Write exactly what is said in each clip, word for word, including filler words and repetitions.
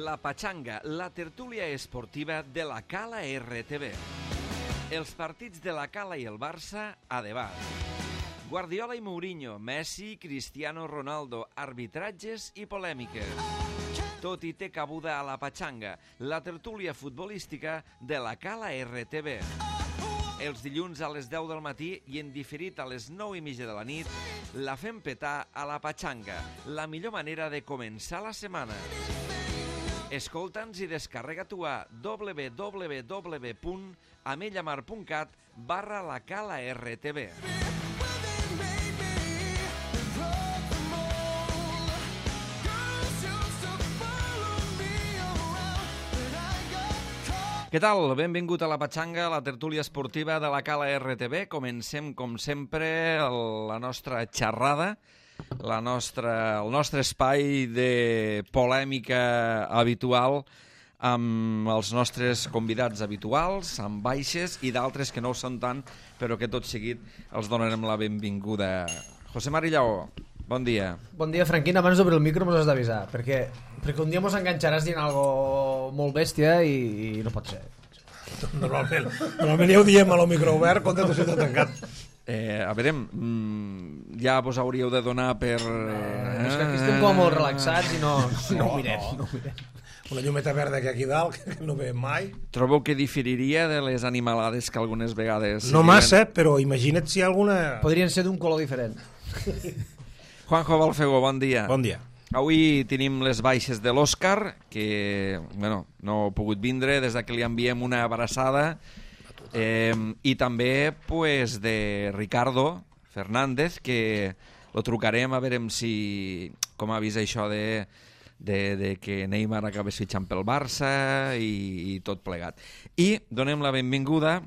La Pachanga, la tertúlia esportiva de la Cala R T V. Els partits de la Cala i el Barça a debat. Guardiola i Mourinho, Messi, Cristiano Ronaldo, arbitratges i polèmiques. Tot hi té cabuda a la Pachanga, la tertúlia futbolística de la Cala R T V. Els dilluns a les deu del matí i en diferit a les nou i mitja de la nit, la fem petar a la Pachanga, la millor manera de començar la setmana. Escolta'ns i descarrega-t'ho a w w w punt amellamar punt cat barra la Cala R T V. Què tal? Benvingut a la Pachanga, la tertúlia esportiva de la Cala R T V. Comencem, com sempre, la nostra xerrada, la nostra, el nostre espai de polèmica habitual amb els nostres convidats habituals, amb baixes i d'altres que no ho són tant, però que tot seguit els donarem la benvinguda. José Mari Lleó, bon dia. Bon dia, Franquín. Abans d'obrir el micro mos has d'avisar, perquè, perquè un dia mos enganxaràs dient algo molt bèstia i, i no pot ser. Normalment, normalment ja ho diem a lo micro obert, contra tu si tot tancat. Eh, a veure, mm, ja vos hauríeu de donar per... Eh, és que aquí estem com molt relaxats i no, no, no ho mirem. No. No mirem. Una llumeta verda que aquí dalt, que no veiem mai. Trobo que diferiria de les animalades que algunes vegades... No massa, però imagina't si hi ha alguna... Podrien ser d'un color diferent. Juanjo Balfegó, bon dia. Bon dia. Avui tenim les baixes de l'Òscar, que bueno, no ha pogut vindre, des que li enviem una abraçada, eh, i també pues, de Ricardo Fernández, que lo trucarem a veure si, com ha vist això de, de, de que Neymar acabés fitxant pel Barça i, i tot plegat. I donem la benvinguda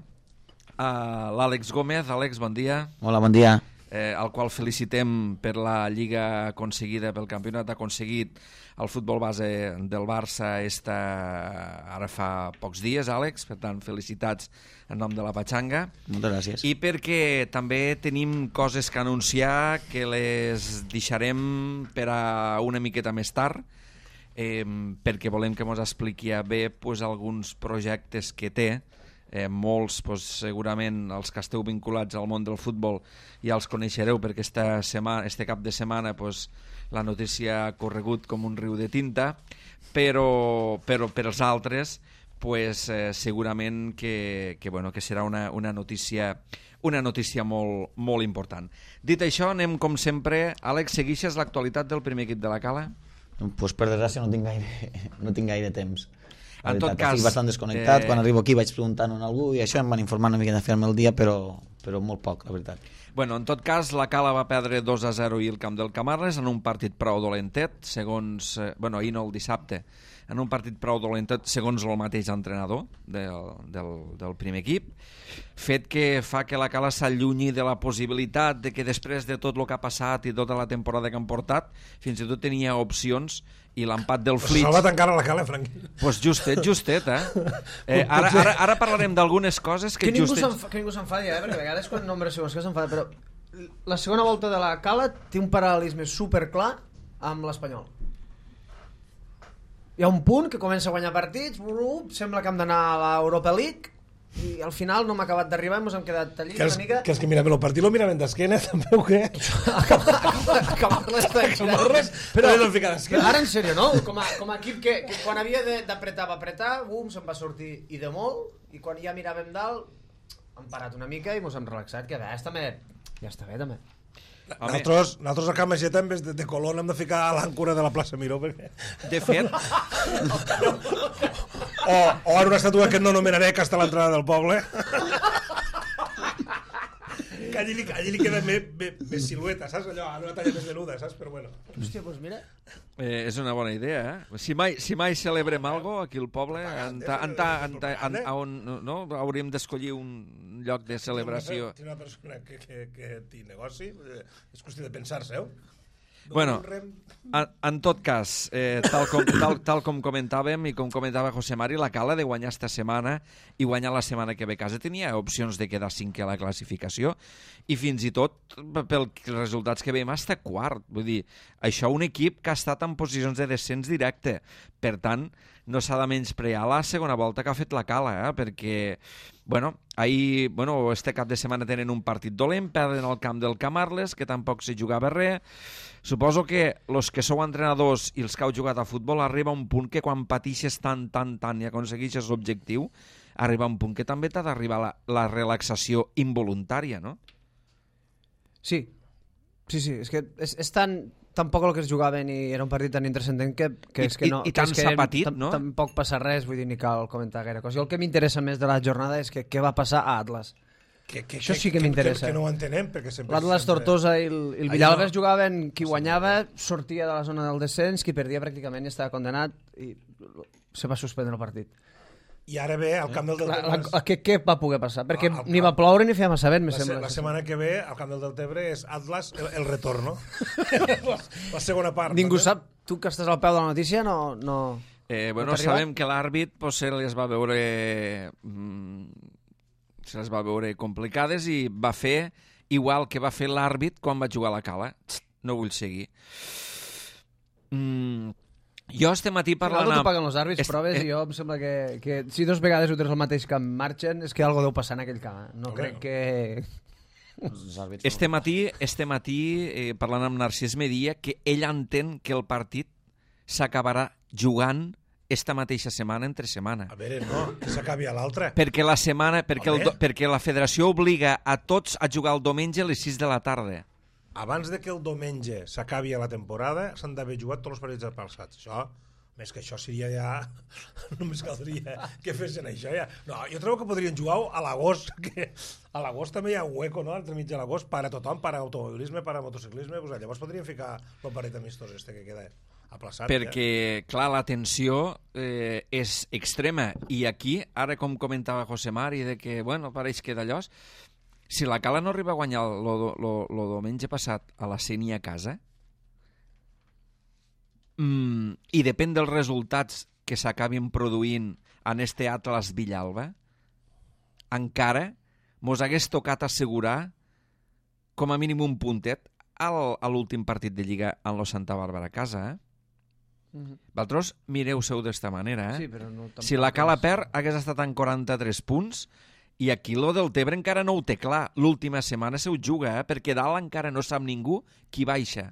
a l'Àlex Gómez. Àlex, bon dia. Hola, bon dia. Eh, al qual felicitem per la lliga aconseguida, pel campionat aconseguit el futbol base del Barça esta, ara fa pocs dies, Àlex, per tant felicitats en nom de la Pachanga. Moltes gràcies. I perquè també tenim coses que anunciar que les deixarem per a una miqueta més tard, eh, perquè volem que ens expliqui bé pues, alguns projectes que té. Eh, molts, pues, segurament els que esteu vinculats al món del futbol ja els coneixereu, perquè esta setmana, este cap de setmana pues, la notícia ha corregut com un riu de tinta, però, però per als altres pues, eh, segurament que, que, bueno, que serà una, una notícia, una notícia molt, molt important. Dit això, anem com sempre. Àlex, seguixes l'actualitat del primer equip de la Cala? Pues, per desgràcia no tinc gaire, no tinc gaire temps. La en veritat, tot cas, estic bastant desconnectat. eh... Quan arribo aquí vaig preguntant a algú i això em van informar una mica de fer-me el dia, però, però molt poc, la veritat. Bueno, en tot cas, la Cala va perdre dos a zero i el camp del Camarles en un partit prou dolentet, segons... Eh, bueno, ahir no, el dissabte, en un partit prou dolentet, segons el mateix entrenador del, del, del primer equip, fet que fa que la Cala s'allunyi de la possibilitat de que després de tot el que ha passat i tota la temporada que han portat, fins i tot tenia opcions, i l'empat del Flix... Pues salvat encara la Cala, Frank. Pues justet, justet, eh? eh ara, ara, ara parlarem d'algunes coses que, que ningú justet... que ningú s'enfadi, eh? Perquè a vegades quan nombres segons que s'enfada, però la segona volta de la Cala té un paral·lelisme superclar amb l'Espanyol. Hi ha un punt que comença a guanyar partits, sembla que hem d'anar a l'Europa League, i al final no m'ha acabat d'arribar i ens hem quedat allí que els, una mica... Que els que miraven el partit lo miraven d'esquena, també o què? Acabar-les Acabar-les, però no ficar d'esquena. Ara en sèrio, no? Com a, com a equip que, que quan havia d'apretar va apretar, bum, se'n va sortir i de molt, i quan ja miràvem dalt hem parat una mica i ens hem relaxat, que a vegades també ja està bé també. Nosaltres, nosaltres a Can Mageta en vez de, de Colón hem de ficar a l'àncora de la plaça Miró perquè... De fet... o, o en una estàtua que no nomenaré, que està a l'entrada del poble. Que allí, allí li queda més, més, més silueta, saps? Allò, en una talla més venuda, saps? Però bueno. Hòstia, doncs mira... Eh, és una bona idea, eh? Si mai, si mai celebrem algo aquí al poble, en ta, en ta, en ta, en, on, no? Hauríem d'escollir un lloc de celebració. Té una persona que, que, que té negoci, és qüestió de pensar-se, eh? Bueno, en, en tot cas, eh, tal, com, tal, tal com comentàvem i com comentava José Mari, la Cala de guanyar esta setmana i guanyar la setmana que ve a casa tenia opcions de quedar cinquè a la classificació i fins i tot, pels resultats que veiem, està quart. Vull dir, això un equip que ha estat en posicions de descens directe. Per tant, no s'ha de menysprear la segona volta que ha fet la Cala, eh? Perquè, bueno, ahir, bueno, este cap de setmana tenen un partit dolent, perden al camp del Camarles, que tampoc se jugava res. Suposo que els que sou entrenadors i els que heu jugat a futbol arriba un punt que quan patixes tant, tant, tant i aconsegueixes l'objectiu, arriba un punt que també t'ha d'arribar la, la relaxació involuntària, no? Sí, sí, sí, és que és, és tan... Tampoc el que es jugaven i era un partit tan intrascendent que, que I, és que no... I, i tant s'ha patit, no? Tampoc passa res, vull dir, ni cal comentar gaire cosa. I el que m'interessa més de la jornada és que què va passar a Atlas. Que, que, Això sí que, que m'interessa. Que, que no ho entenem, perquè sempre... L'Atlas sempre... Tortosa i el, el Villalba es no. jugaven, qui guanyava sortia de la zona del descens, qui perdia pràcticament i estava condenat i se va suspendre el partit. I ara ve al camp del Deltebre... La, la, què, què va poder passar? Perquè al, ni va ploure ni feia massa vent, me la, sembla. La setmana que ve al camp del Deltebre és Atlas el, el retorn, no? la, la segona part. Ningú no? sap, tu que estàs al peu de la notícia, no... no... Eh, bueno, no sabem que l'àrbit pues, se les va veure mm, se les va veure complicades i va fer igual que va fer l'àrbit quan va jugar a la Cala. No vull seguir. Mm, jo este matí parlant... Amb... paguen els àrbits, Est... proves, eh... i jo em sembla que, que si dos vegades ho tens al mateix camp marxen, és que algo deu passar en aquell camp. No Home, crec que... Este matí, este matí eh, parlant amb Narcís, me dia que ell entén que el partit s'acabarà jugant esta mateixa setmana entre setmana. A veure, no, que s'acabi a l'altra. Perquè la setmana, perquè, el, perquè la federació obliga a tots a jugar el diumenge a les sis de la tarda. Abans de que el diumenge s'acabi a la temporada, s'han d'haver jugat tots els partits apalçats. Això, més que això seria ja... Només caldria que fessin això ja. No, jo trobo que podrien jugar a l'agost, que a l'agost també hi ha un hueco, no?, entre mig de l'agost, per a tothom, per a automobilisme, per a motociclisme, pues, llavors podrien ficar el partit amistós este que queda aplaçat. Perquè, ja. clar, la tensió eh, és extrema, i aquí, ara com comentava José Mari, de que, bueno, pareix que d'allò... Si la Cala no arriba a guanyar el diumenge passat a la Ceni a casa, mm, i depèn dels resultats que s'acabin produint en este Atlas Villalba, encara mos hagués tocat assegurar com a mínim un puntet al, a l'últim partit de Lliga en lo Santa Bàrbara a casa, eh? Mm-hmm. Vosaltres mireu-seu d'esta manera, eh? Sí, però no, si la Cala perd, hagués estat en quaranta-tres punts, i aquí lo del Tebre encara no ho té clar. L'última setmana se ho juga, eh? Perquè dalt encara no sap ningú qui baixa.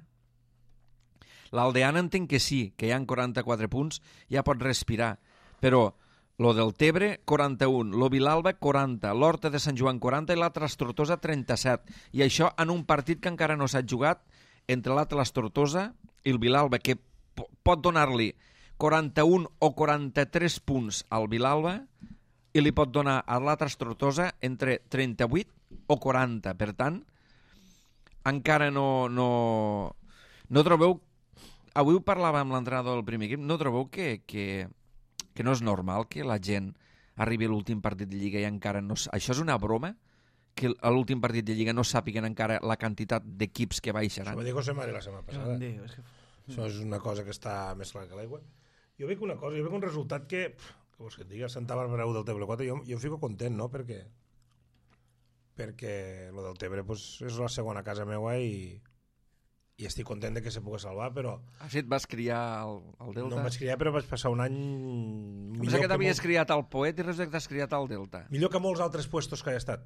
L'Aldeana entenc que sí, que hi ha quaranta-quatre punts, ja pot respirar. Però lo del Tebre, quaranta-un, lo Vilalba, quaranta, l'Horta de Sant Joan, quaranta, i l'Atlas Tortosa, trenta-set. I això en un partit que encara no s'ha jugat entre l'Atlas Tortosa i el Vilalba, que pot donar-li quaranta-un o quaranta-tres punts al Vilalba, i li pot donar a l'Atlas Tortosa entre trenta-vuit o quaranta. Per tant, encara no... No, no trobeu... Avui ho parlàvem amb l'entrenador del primer equip, no trobeu que, que, que no és normal que la gent arribi a l'últim partit de Lliga i encara no... Això és una broma? Que a l'últim partit de Lliga no sàpiguen encara la quantitat d'equips que baixaran? Això va dir José Mari la setmana passada. Dir, és que... Això és una cosa que està més clara que l'aigua. Jo veig una cosa, jo veig un resultat que... que vols que et digui, Santa Bàrbara u del Tebre quatre, jo, jo em fico content, no?, perquè perquè lo del Tebre pues, és la segona casa meua i, i estic content de que se pugui salvar, però... Ah, sí, et vas criar al, al Delta? No em vaig criar, però vaig passar un any... Pensa que t'havies molt... criat al Poet i resulta que t'has criat al Delta. Millor que molts altres puestos que he estat.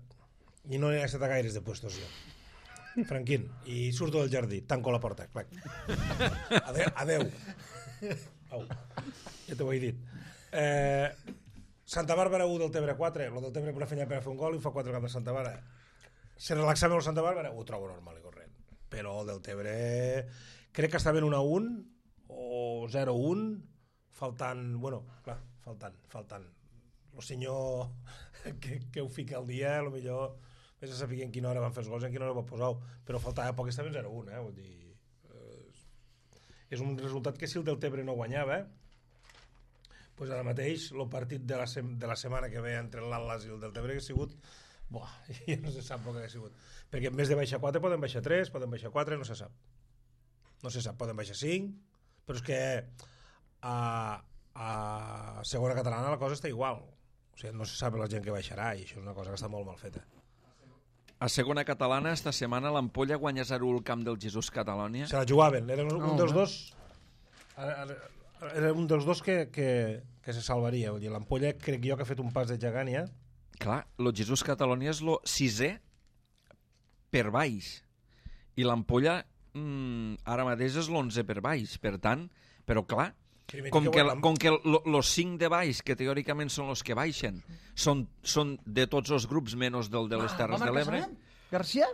I no he estat a gaires de puestos, jo. Franquín. I surto del jardí, tanco la porta, clac. Adeu. Adeu. Au. Ja t'ho he dit. Eh, Santa Bàrbara u del Tebre quatre, el del Tebre per la feina per a fer un gol i fa quatre cap de Santa Bàrbara. Si relaxava el Santa Bàrbara, ho trobo normal i corrent. Però el del Tebre crec que està ben un a un o zero a un, faltant, bueno, clar, faltant, faltant. El senyor que, que ho fica al dia, a lo millor vés a saber en quina hora van fer els gols i en quina hora va posar-ho, però faltava poc, estava en zero a un, eh? Vull dir, eh, és un resultat que si el del Tebre no guanyava, pues ara mateix el partit de la, sem de la setmana que ve entre l'Atlas i el del Tebre que ha sigut, buah, ja no se sap el que ha sigut, perquè en vez de baixar quatre poden baixar tres, poden baixar quatre, no se sap. no se sap, poden baixar cinc, però és que a, a segona catalana la cosa està igual. O sigui, no se sap la gent que baixarà i això és una cosa que està molt mal feta. A segona catalana, esta setmana, l'Ampolla guanya zero al camp del Jesús Catalònia. Se la jugaven, era un, No, un dels home. dos era un dels dos que, que, que se salvaria. Vull dir, l'Ampolla crec jo que ha fet un pas de gegant ja. Clar, el Jesús Catalònia és el sisè per baix. I l'Ampolla mm, ara mateix és l'onze per baix. Per tant, però clar, Primer com que, l'Am- com que els cinc de baix, que teòricament són els que baixen, són, són de tots els grups menys del de les Terres de l'Ebre, Garcia?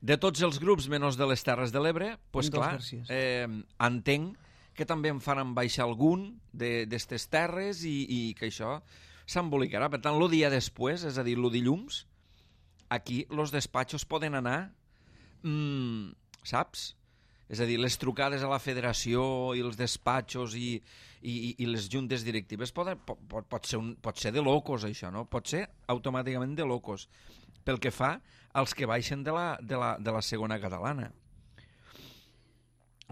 de tots els grups menys de les Terres de l'Ebre, doncs Dos clar, Garcies. eh, entenc que també en faran baixar algun d'estes terres i, i que això s'embolicarà. Per tant, el dia després, és a dir, el dilluns, aquí els despatxos poden anar, mm, saps? És a dir, les trucades a la federació i els despatxos i, i, i les juntes directives poden, pot, pot, ser un, pot ser de locos, això, no? Pot ser automàticament de locos, pel que fa als que baixen de la, de la, de la segona catalana.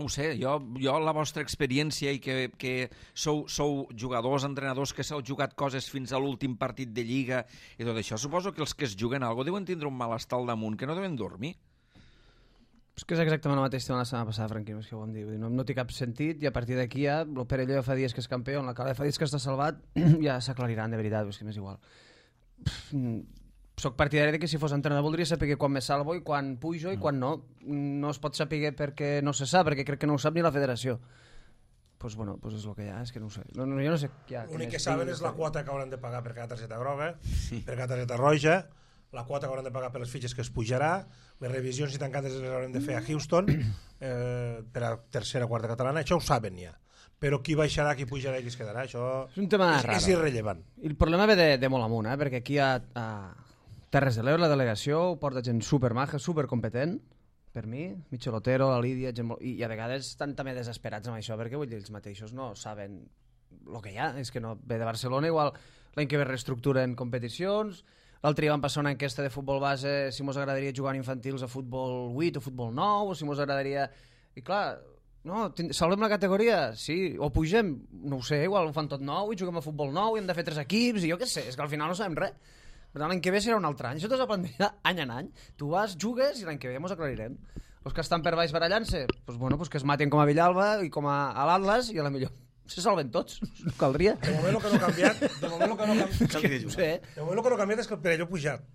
No ho sé, jo, jo la vostra experiència i que, que sou, sou jugadors, entrenadors que s'heu jugat coses fins a l'últim partit de Lliga i tot això, suposo que els que es juguen alguna cosa deuen tindre un malestar al damunt, que no deuen dormir. És que és exactament el mateix tema la setmana passada, Franquino, és que ho vam dir. Vull dir, no, no té cap sentit i a partir d'aquí ja el Perelló fa dies que és campió, la Cala fa dies que està salvat, ja s'aclariran de veritat, és que m'és igual. Pff, soc partidari de que si fos entrenador voldria saber quan me salvo i quan pujo i quan no. No es pot saber perquè no se sap, perquè crec que no ho sap ni la federació. Pues bueno, pues és el que hi ha, és que no ho sé. No, no, jo no sé què hi ha. L'únic que saben és la quota que hauran de pagar per cada targeta groga, sí. per cada targeta roja, la quota que hauran de pagar per les fitxes que es pujarà, les revisions i tancades les haurem de fer a Houston, eh, per a tercera o quarta catalana, això ho saben ja. Però qui baixarà, qui pujarà i qui es quedarà, això és un tema és, raro. és irrellevant. I el problema ve de, de molt amunt, eh? Perquè aquí a, a Terres de l'Ebre, la delegació, ho porta gent supermaja, supercompetent, per mi, Michel Otero, la Lídia, gent molt... I, i a vegades estan també desesperats amb això, perquè vull dir, ells mateixos no saben el que hi ha, és que no ve de Barcelona, igual l'any que ve reestructuren competicions, l'altre dia van passar una enquesta de futbol base, si mos agradaria jugar en infantils a futbol vuit o futbol nou, o si mos agradaria... I clar, no, salvem la categoria? Sí, o pugem? No ho sé, igual ho fan tot nou i juguem a futbol nou i hem de fer tres equips i jo què sé, és que al final no sabem res. Per tant, l'any que ve serà un altre any. Això t'ho aprendrà any en any. Tu vas, jugues i l'any que ve mos aclarirem. Els que estan per baix barallant-se, doncs, bueno, doncs que es maten com a Villalba i com a, a l'Atlas i a la millor se salven tots, no caldria. De moment el que no ha canviat, de moment el que no ha canviat, És que, no sé. de moment el que no ha canviat és que el Perelló ha pujat.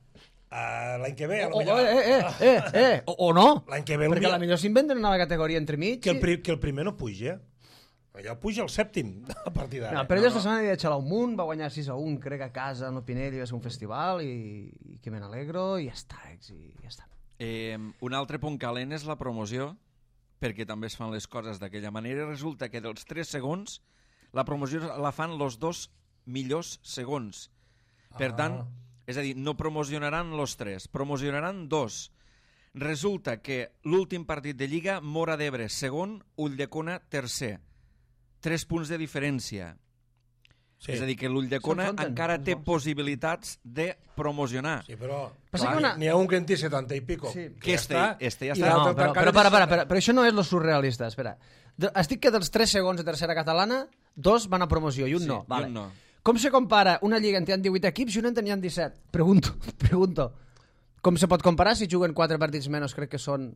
Uh, l'any que ve, a lo O, o, millor... eh, eh, eh, eh, o, o no. L'any que ve... Perquè a la millor s'inventen una nova categoria entremig. Que el, pri que el primer no puja. Allò puja el sèptim a partir d'ara. No, però ella esta setmana havia de xalar un munt, va guanyar sis a un, crec, a casa, en Pinell, i va ser un festival, i, i que me n'alegro, i ja està, i ja està. Eh, un altre punt calent és la promoció, perquè també es fan les coses d'aquella manera, i resulta que dels tres segons, la promoció la fan els dos millors segons. Per Ah. tant, és a dir, no promocionaran els tres, promocionaran dos. Resulta que l'últim partit de Lliga, Mora d'Ebre, segon, Ulldecona, tercer. Tres punts de diferència. Sí. És a dir, que l'Ulldecona S'enfronten, encara té els dos. possibilitats de promocionar. Sí, però... Passa clar, que una- N'hi ha un que en té setanta i pico. Sí. Que Que ja este- està. este ja i està. l'altre No, però, tancat però, és para, para, setanta. para, però això no és lo surrealista, espera. De- Has dit que dels tres segons de tercera catalana, dos van a promoció i un Sí, no. i Vale. un no. Com se compara una lliga en té divuit equips i una en tenien disset? Pregunto, pregunto. Com se pot comparar si juguen quatre partits menys, crec que són...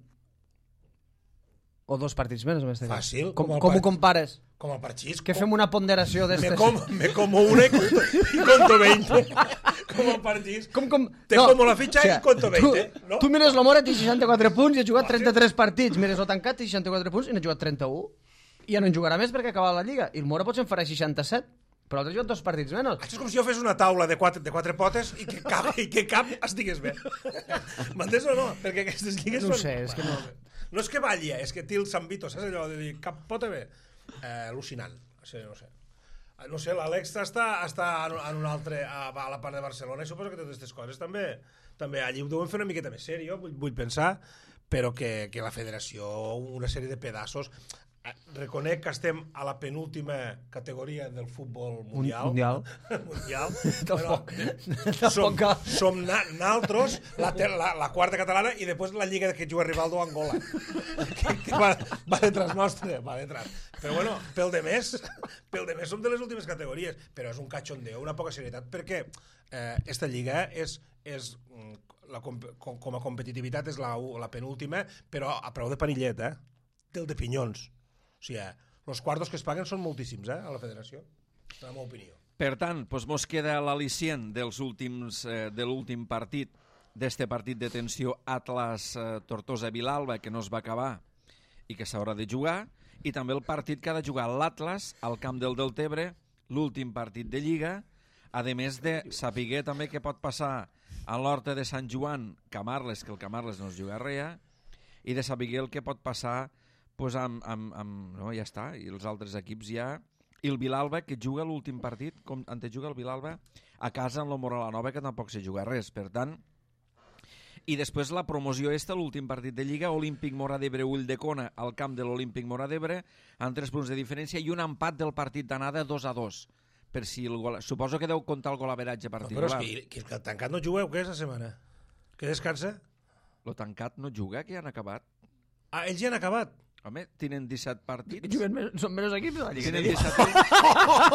O dos partits menys, en este cas. Fàcil, Com, com el com ho part- compares? Com el parxís. Que fem una ponderació Me, d'estes... com, me como una y conto, y conto veinte. Como el parxís. Com, com... Te como la fitxa i conto veinte, tu, no? Tu mires l'Omora, té seixanta-quatre punts i ha jugat trenta-tres partits. Mires el tancat, té seixanta-quatre punts i n'ha jugat trenta-u. I ja no en jugarà més perquè ha acabat la Lliga. I el Mora potser en farà seixanta-set. Però l'altre ha jugat dos partits menys. Això és com si jo fes una taula de quatre, de quatre potes i que cap, i que cap estigués bé. M'entens o no? Perquè aquestes lligues No ho són... sé, és que no... No és que balli, és que té el sambito, saps allò de dir cap pota bé? Eh, al·lucinant. Sí, no sé. No sé, l'Àlex està, està en, en un altre, a, a la part de Barcelona, i suposo que totes aquestes coses també, també allí ho deuen fer una miqueta més sèrio, vull, vull pensar, però que, que la federació, una sèrie de pedaços... reconec que estem a la penúltima categoria del futbol mundial. Mundial. mundial. Tampoc. Som, Tampoc. som na, naltros, la, ter- la, la quarta catalana i després la lliga que juga Rivaldo a Angola. que, que va, va detrás nostre, va detrás. Però bueno, pel de més, pel de més som de les últimes categories, però és un cachondeo, una poca serietat, perquè eh, esta lliga és, és la, com, com a competitivitat és la, la penúltima, però a preu de panillet, eh? Del de pinyons. O sigui, els quartos que es paguen són moltíssims, eh, a la federació, en la meva opinió. Per tant, doncs mos queda l'al·licient dels últims, eh, de l'últim partit, d'este partit de tensió Atlas-Tortosa-Vilalba, que no es va acabar i que s'haurà de jugar, i també el partit que ha de jugar l'Atlas al camp del Deltebre, l'últim partit de Lliga, a més de saber també què pot passar a l'Horta de Sant Joan, Camarles, que el Camarles no es juga res, i de saber el que pot passar pues amb, amb, amb, no, ja està, i els altres equips ja, i el Vilalba que juga l'últim partit, com antes juga el Vilalba a casa amb la Moralanova, que tampoc se juga res, per tant, i després la promoció esta, l'últim partit de Lliga, Olímpic Mora d'Ebre Ull de Cona al camp de l'Olímpic Mora d'Ebre, amb tres punts de diferència i un empat del partit d'anada dos a dos, per si el gol... suposo que deu comptar el golaveratge particular. No, però és que, que el tancat no jugueu, què és la setmana? Que descansa? Lo tancat no juga, que ja han acabat. Ah, ells ja han acabat. Home, tenen disset partits. Juguen més, són menys equips de la Lliga. Tenen disset partits.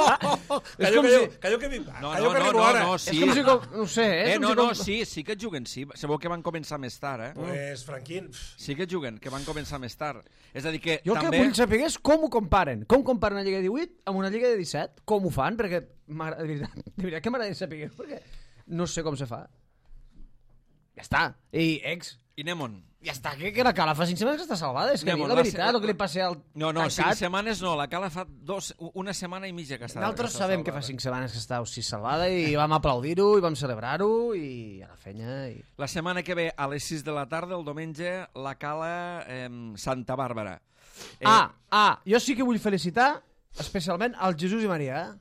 Callo, callo, callo que, No, callo no, que no, arribo no, ara. no, sí. És com si... Com, no ho sé, eh? Eh, És com no, si no, com... sí, sí que juguen, sí. Sabeu que van començar més tard, eh? Pues, Franquín... Sí que juguen, que van començar més tard. És a dir que Jo també... que vull saber és com ho comparen. Com comparen una Lliga de divuit amb una Lliga de disset? Com ho fan? Perquè m'agrada- de veritat, de veritat que m'agradaria saber, perquè no sé com se fa. Ja està. I ex... I Nemon. Ja està, que, que la Cala fa cinc setmanes que està salvada. És que Anem, diu la la veritat, se- el que li passa al No, no, cinc tancat. setmanes no. La Cala fa dos, una setmana i mitja que està. Nosaltres que està sabem que fa salvada. cinc setmanes que està així salvada i vam aplaudir-ho i vam celebrar-ho i a la fenya... I... La setmana que ve, a les sis de la tarda, el diumenge, la Cala eh, Santa Bàrbara. Eh, Ah, ah, jo sí que vull felicitar especialment al Jesús i Maria, eh?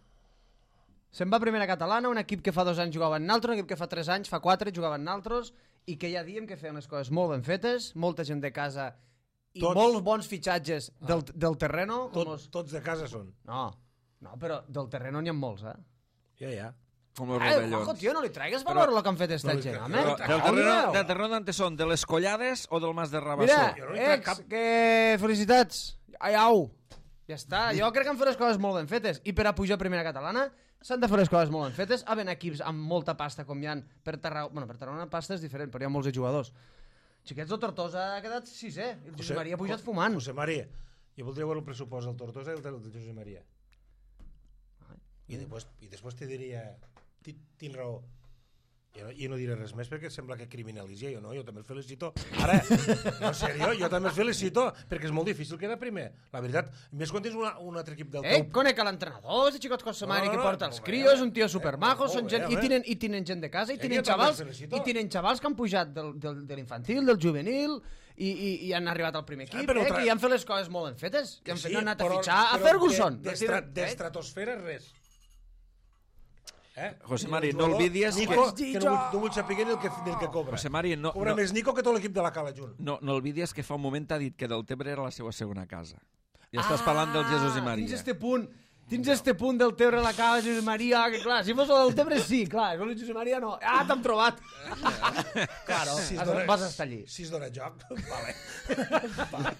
Se'n va a primera catalana, un equip que fa dos anys jugava en naltros, un equip que fa tres anys, fa quatre, jugava en naltros, i que ja diem que feien les coses molt ben fetes, molta gent de casa i Tots. molts bons fitxatges del, del terreno. Com Tot, los... tots de casa són. No, no, però del terreno n'hi ha molts, eh? Ja, ja. com els Ai, rovellons. ojo, tio, no li tragues valor Però- a lo que han fet esta no li gent, tra- home. Però, del Cago, terreno, Déu. del terreno d'ante són? De les Collades o del Mas de Rabassó? Mira, Jo no li trec ex, cap- que felicitats. Ai, au. Ja està, jo crec que han fet les coses molt ben fetes. I per a pujar a primera catalana s'han de fer les coses molt ben fetes. Havent equips amb molta pasta com hi ha per Tarragona. Bueno, per Tarragona pasta és diferent, però hi ha molts de jugadors. Xiquets del Tortosa ha quedat sisè. El Josep Maria ha pujat fumant. José María. Jo voldria veure el pressupost del Tortosa i el del José María. I després, i després te diria... ti- Tinc raó. Jo no, jo no diré res més perquè sembla que criminalitzi jo, no? Jo també el felicito. Ara, no, en sèrio, jo també el felicito perquè és molt difícil quedar primer. La veritat, més quan tens una, un altre equip del Eh, teu... conec a l'entrenador, és de Xicot Cosamari, No, no, que no, porta els molt bé, crios, home. un tio supermajo, Eh, són molt gent, bé, i, home. tenen, i tenen gent de casa, i Eh, tenen jo també xavals, el felicito. i tenen xavals que han pujat del, del, de l'infantil, del juvenil, i, i, i han arribat al primer equip, però eh, tra- que hi han fet les coses molt ben fetes, que han, fet, Sí, no han anat a però- fitxar a però Ferguson. de- d'estra- D'estratosfera res. Eh? José I Mari, el no jugador olvides Nico, que- que, no, vull, no vull saber ni el que, ni el que cobra. José Mari, no, Cobra no, més Nico que tot l'equip de la Cala junt. no, no olvides que fa un moment t'ha dit que del Tebre era la seva segona casa. I estàs parlant del Jesús i Maria. Tens este punt, tens este punt del Tebre a la cava, Jesús Maria, que clar, si fos el del Tebre sí, clar, el Jesús Maria no. Ah, t'hem trobat. Claro, Si es has- dona- vas estar allí. Si es dona joc, vale. vale.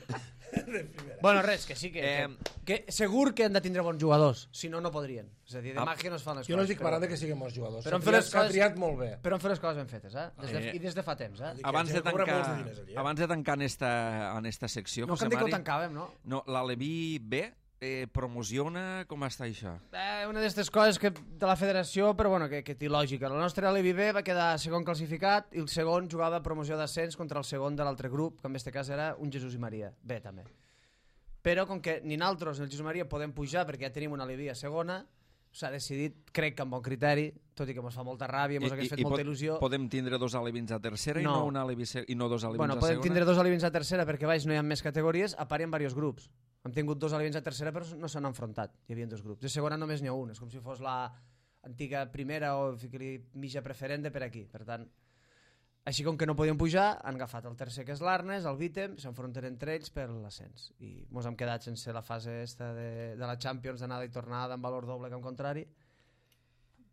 De primera. Bueno, res, que sí, que, Eh, que, que segur que han de tindre bons jugadors, si no, no podrien. És a dir, de Ah. màgia no es fan les Jo no coses. estic parlant de que siguin bons jugadors. però S'ha han fet triat, les s'ha coses- triat molt bé. Però han fet les coses ben fetes, eh? Des de, Eh. I des de fa temps, eh? Dic, Abans hi ha de gent que cobra molts tancar, de diners allí, eh? abans de tancar en esta, en esta secció, No José cal dir que ho Mari, tancàvem, no? no, l'Aleví B eh, promociona, com està això? Eh, una d'aquestes coses que, de la federació, però bueno, que, que té lògica. El nostre Alevi B va quedar segon classificat i el segon jugava a promoció d'ascens contra el segon de l'altre grup, que en aquest cas era un Jesús i Maria. B, també. Però com que ni nosaltres ni el Jesús i Maria podem pujar perquè ja tenim una Alevi a segona, s'ha decidit, crec que amb bon criteri, tot i que ens fa molta ràbia, ens hagués fet molta pot- il·lusió. podem tindre dos alevins a tercera i No. no, un alevi se- i no dos alevins Bueno, a podem segona? tindre dos alevins a tercera perquè baix no hi ha més categories, a part hi ha diversos grups. Hem tingut dos alevins a tercera però no s'han enfrontat, hi havia dos grups. De segona només n'hi ha un, és com si fos la antiga primera o ficar-li mitja preferent de per aquí. Per tant, Així com que no podien pujar, han agafat el tercer, que és l'Arnes, el Vítem, s'enfronten entre ells per l'ascens. I ens hem quedat sense la fase esta de, de la Champions, d'anada i tornada, amb valor doble camp contrari,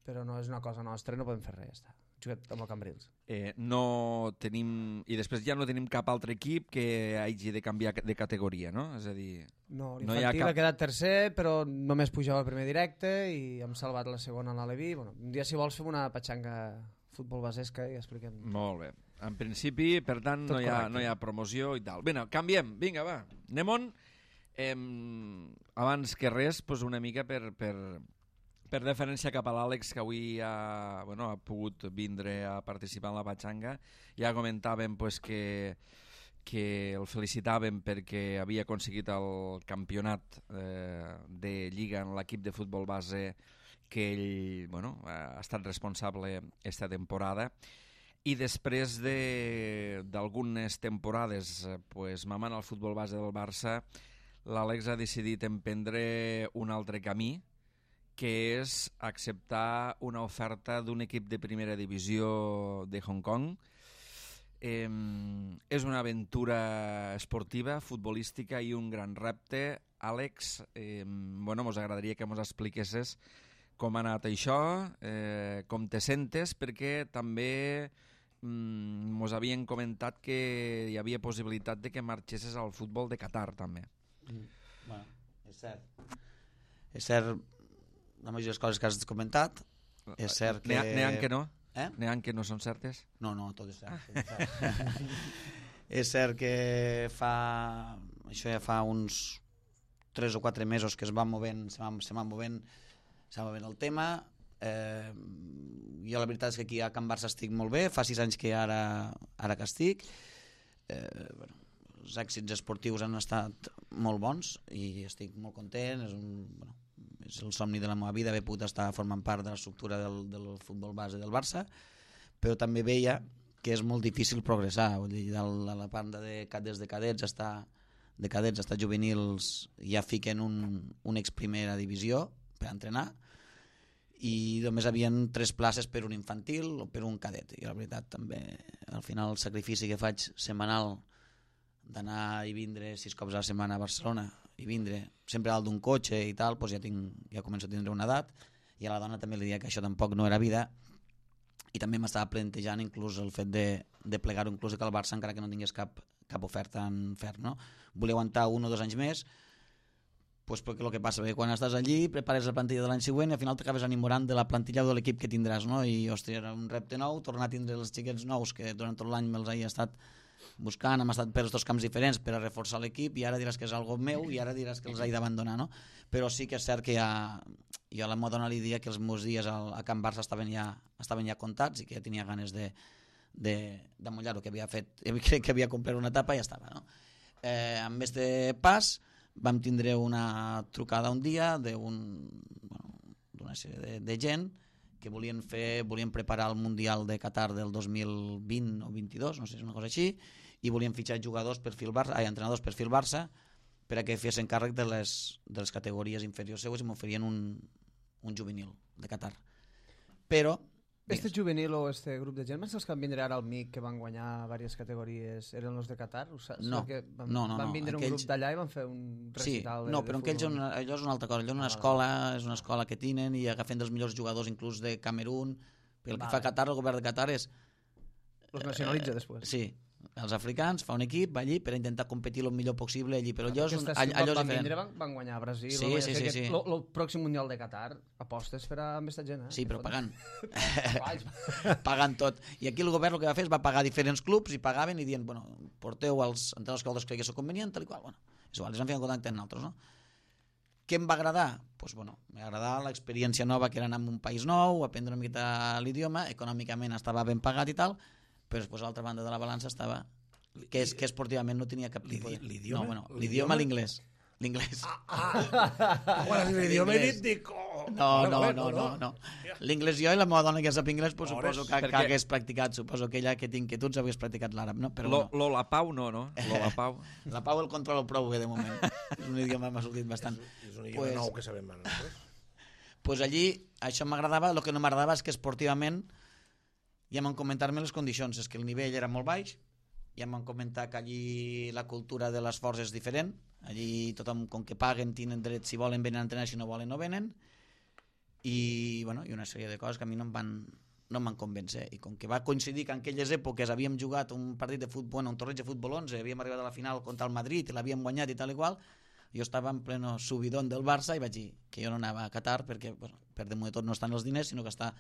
però no és una cosa nostra, no podem fer res, ja està. Jugat amb el Cambrils. Eh, no tenim... I després ja no tenim cap altre equip que hagi de canviar de categoria, no? És a dir... No, no hi l'infantil ha cap... ha quedat tercer, però només pujava al primer directe i hem salvat la segona a l'Aleví. Bueno, un dia, si vols, fem una patxanga futbol basesca i expliquem. Molt bé. En principi, per tant, no hi, ha, no hi ha promoció i tal. Bé, canviem. Vinga, va. Anem-on. Eh, abans que res, pues una mica per, per, per deferència cap a l'Àlex, que avui ha, bueno, ha pogut vindre a participar en la patxanga. Ja comentàvem pues, que, que el felicitàvem perquè havia aconseguit el campionat eh, de Lliga en l'equip de futbol base que ell bueno, ha estat responsable esta temporada. I després d'algunes de, temporades pues, mamant el futbol base del Barça, l'Àlex ha decidit emprendre un altre camí, que és acceptar una oferta d'un equip de primera divisió de Hong Kong. Eh, és una aventura esportiva, futbolística i un gran repte. Àlex, eh, bueno, mos agradaria que mos expliquessis com ha anat això, eh, com te sentes, perquè també mm, mos havien comentat que hi havia possibilitat de que marxessis al futbol de Qatar, també. Mm. Bueno, és cert. És cert la majoria de les coses que has comentat. És cert que... N'hi ha que no? Eh? N'hi ha que no són certes? No, no, tot és cert. Tot és cert. És cert que fa... Això ja fa uns tres o quatre mesos que es va movent, se va, se va movent s'ha movent el tema. Eh, jo la veritat és que aquí a Can Barça estic molt bé, fa sis anys que ara, ara que estic. Eh, bueno, els èxits esportius han estat molt bons i estic molt content. És, un, bueno, és el somni de la meva vida haver pogut estar formant part de l'estructura del, del futbol base del Barça, però també veia que és molt difícil progressar. Vull dir, de la part de, des de cadets està de cadets hasta juvenils ja fiquen un, un ex primera divisió per entrenar i només havien tres places per un infantil o per un cadet, i la veritat també al final el sacrifici que faig setmanal d'anar i vindre sis cops a la setmana a Barcelona i vindre sempre dalt d'un cotxe i tal, doncs ja, tinc, ja començo a tindre una edat, i a la dona també li deia que això tampoc no era vida, i també m'estava plantejant inclús el fet de, de plegar-ho inclús que el Barça encara que no tingués cap, cap oferta en ferm, no? Volia aguantar un o dos anys més, pues perquè el que passa, perquè quan estàs allí prepares la plantilla de l'any següent i al final t'acabes enamorant de la plantilla o de l'equip que tindràs, no? I hòstia, era un repte nou, tornar a tindre els xiquets nous que durant tot l'any me'ls he estat buscant, hem estat per dos camps diferents per a reforçar l'equip, i ara diràs que és algo meu i ara diràs que els he d'abandonar, no? Però sí que és cert que ja, jo a la meva dona li dia que els meus dies al, a Can Barça estaven ja, estaven ja comptats i que ja tenia ganes de, de, de mullar-ho, que havia fet, crec que havia complert una etapa i ja estava, no? Eh, amb este pas vam tindre una trucada un dia d'una bueno, sèrie de, de gent que volien fer, volien preparar el Mundial de Qatar del dos mil vint o vint-i-dos, no sé si és una cosa així, i volien fitxar jugadors per fil Barça, ai, entrenadors per fil Barça per a que fessin càrrec de les, de les categories inferiors seues i m'oferien un, un juvenil de Qatar. Però Este juvenil o este grup de gent, els que van vindre ara al M I C, que van guanyar diverses categories, eren els de Qatar? Ho saps? No, van, no, no. Van vindre no. un Aquells... grup d'allà i van fer un recital sí, de, no, però de aquells una, allò és una altra cosa. Allò és una escola, és una escola que tenen i agafen dels millors jugadors inclús de Camerún, perquè el que vale. fa Qatar, el govern de Qatar és... Los nacionalitza eh, després. Sí, els africans, fa un equip, va allí per intentar competir el millor possible allí, però allò és, un, allò, allò és van diferent. Vindre, van, van guanyar a Brasil, sí, sí, sí, sí. el pròxim Mundial de Qatar apostes per amb aquesta gent, eh? Sí, però pagant. Pagant tot. I aquí el govern el que va fer és va pagar diferents clubs i pagaven i dient, bueno, porteu els entrenadors que vosaltres cregueu convenient, tal i qual. Bueno, és igual, els han fet en contacte amb nosaltres, no? Què em va agradar? Pues, bueno, m'agradava l'experiència nova que era anar a un país nou, aprendre una miqueta l'idioma, econòmicament estava ben pagat i tal, però després a l'altra banda de la balança estava que, és, que esportivament no tenia cap tipus de... L'idioma? No, bueno, l'idioma l'inglès. L'inglès. Ah, ah. Quan has dit l'idioma he dit, dic... Oh, no, no, no, no, no. L'inglès jo i la meva dona que sap inglès, pues, suposo que, que hagués practicat, suposo que ella que té inquietuds hagués practicat l'àrab, no? Però lo, bueno. lo la Pau no, no? Lo la Pau. La Pau el controla prou bé de moment. És un idioma que m'ha sortit bastant. És un idioma pues, nou que sabem ara. Pues allí, això m'agradava, el que no m'agradava és que esportivament i em van comentar-me les condicions, és que el nivell era molt baix, i em van comentar que allí la cultura de l'esforç és diferent, allí tothom, com que paguen, tenen dret, si volen venen a entrenar, si no volen no venen, i, bueno, i una sèrie de coses que a mi no em van, no em van convèncer, i com que va coincidir que en aquelles èpoques havíem jugat un partit de futbol, un torneig de futbol onze, havíem arribat a la final contra el Madrid i l'havíem guanyat i tal i qual, jo estava en pleno subidón del Barça i vaig dir que jo no anava a Qatar perquè, bueno, per damunt de tot no estan els diners, sinó que està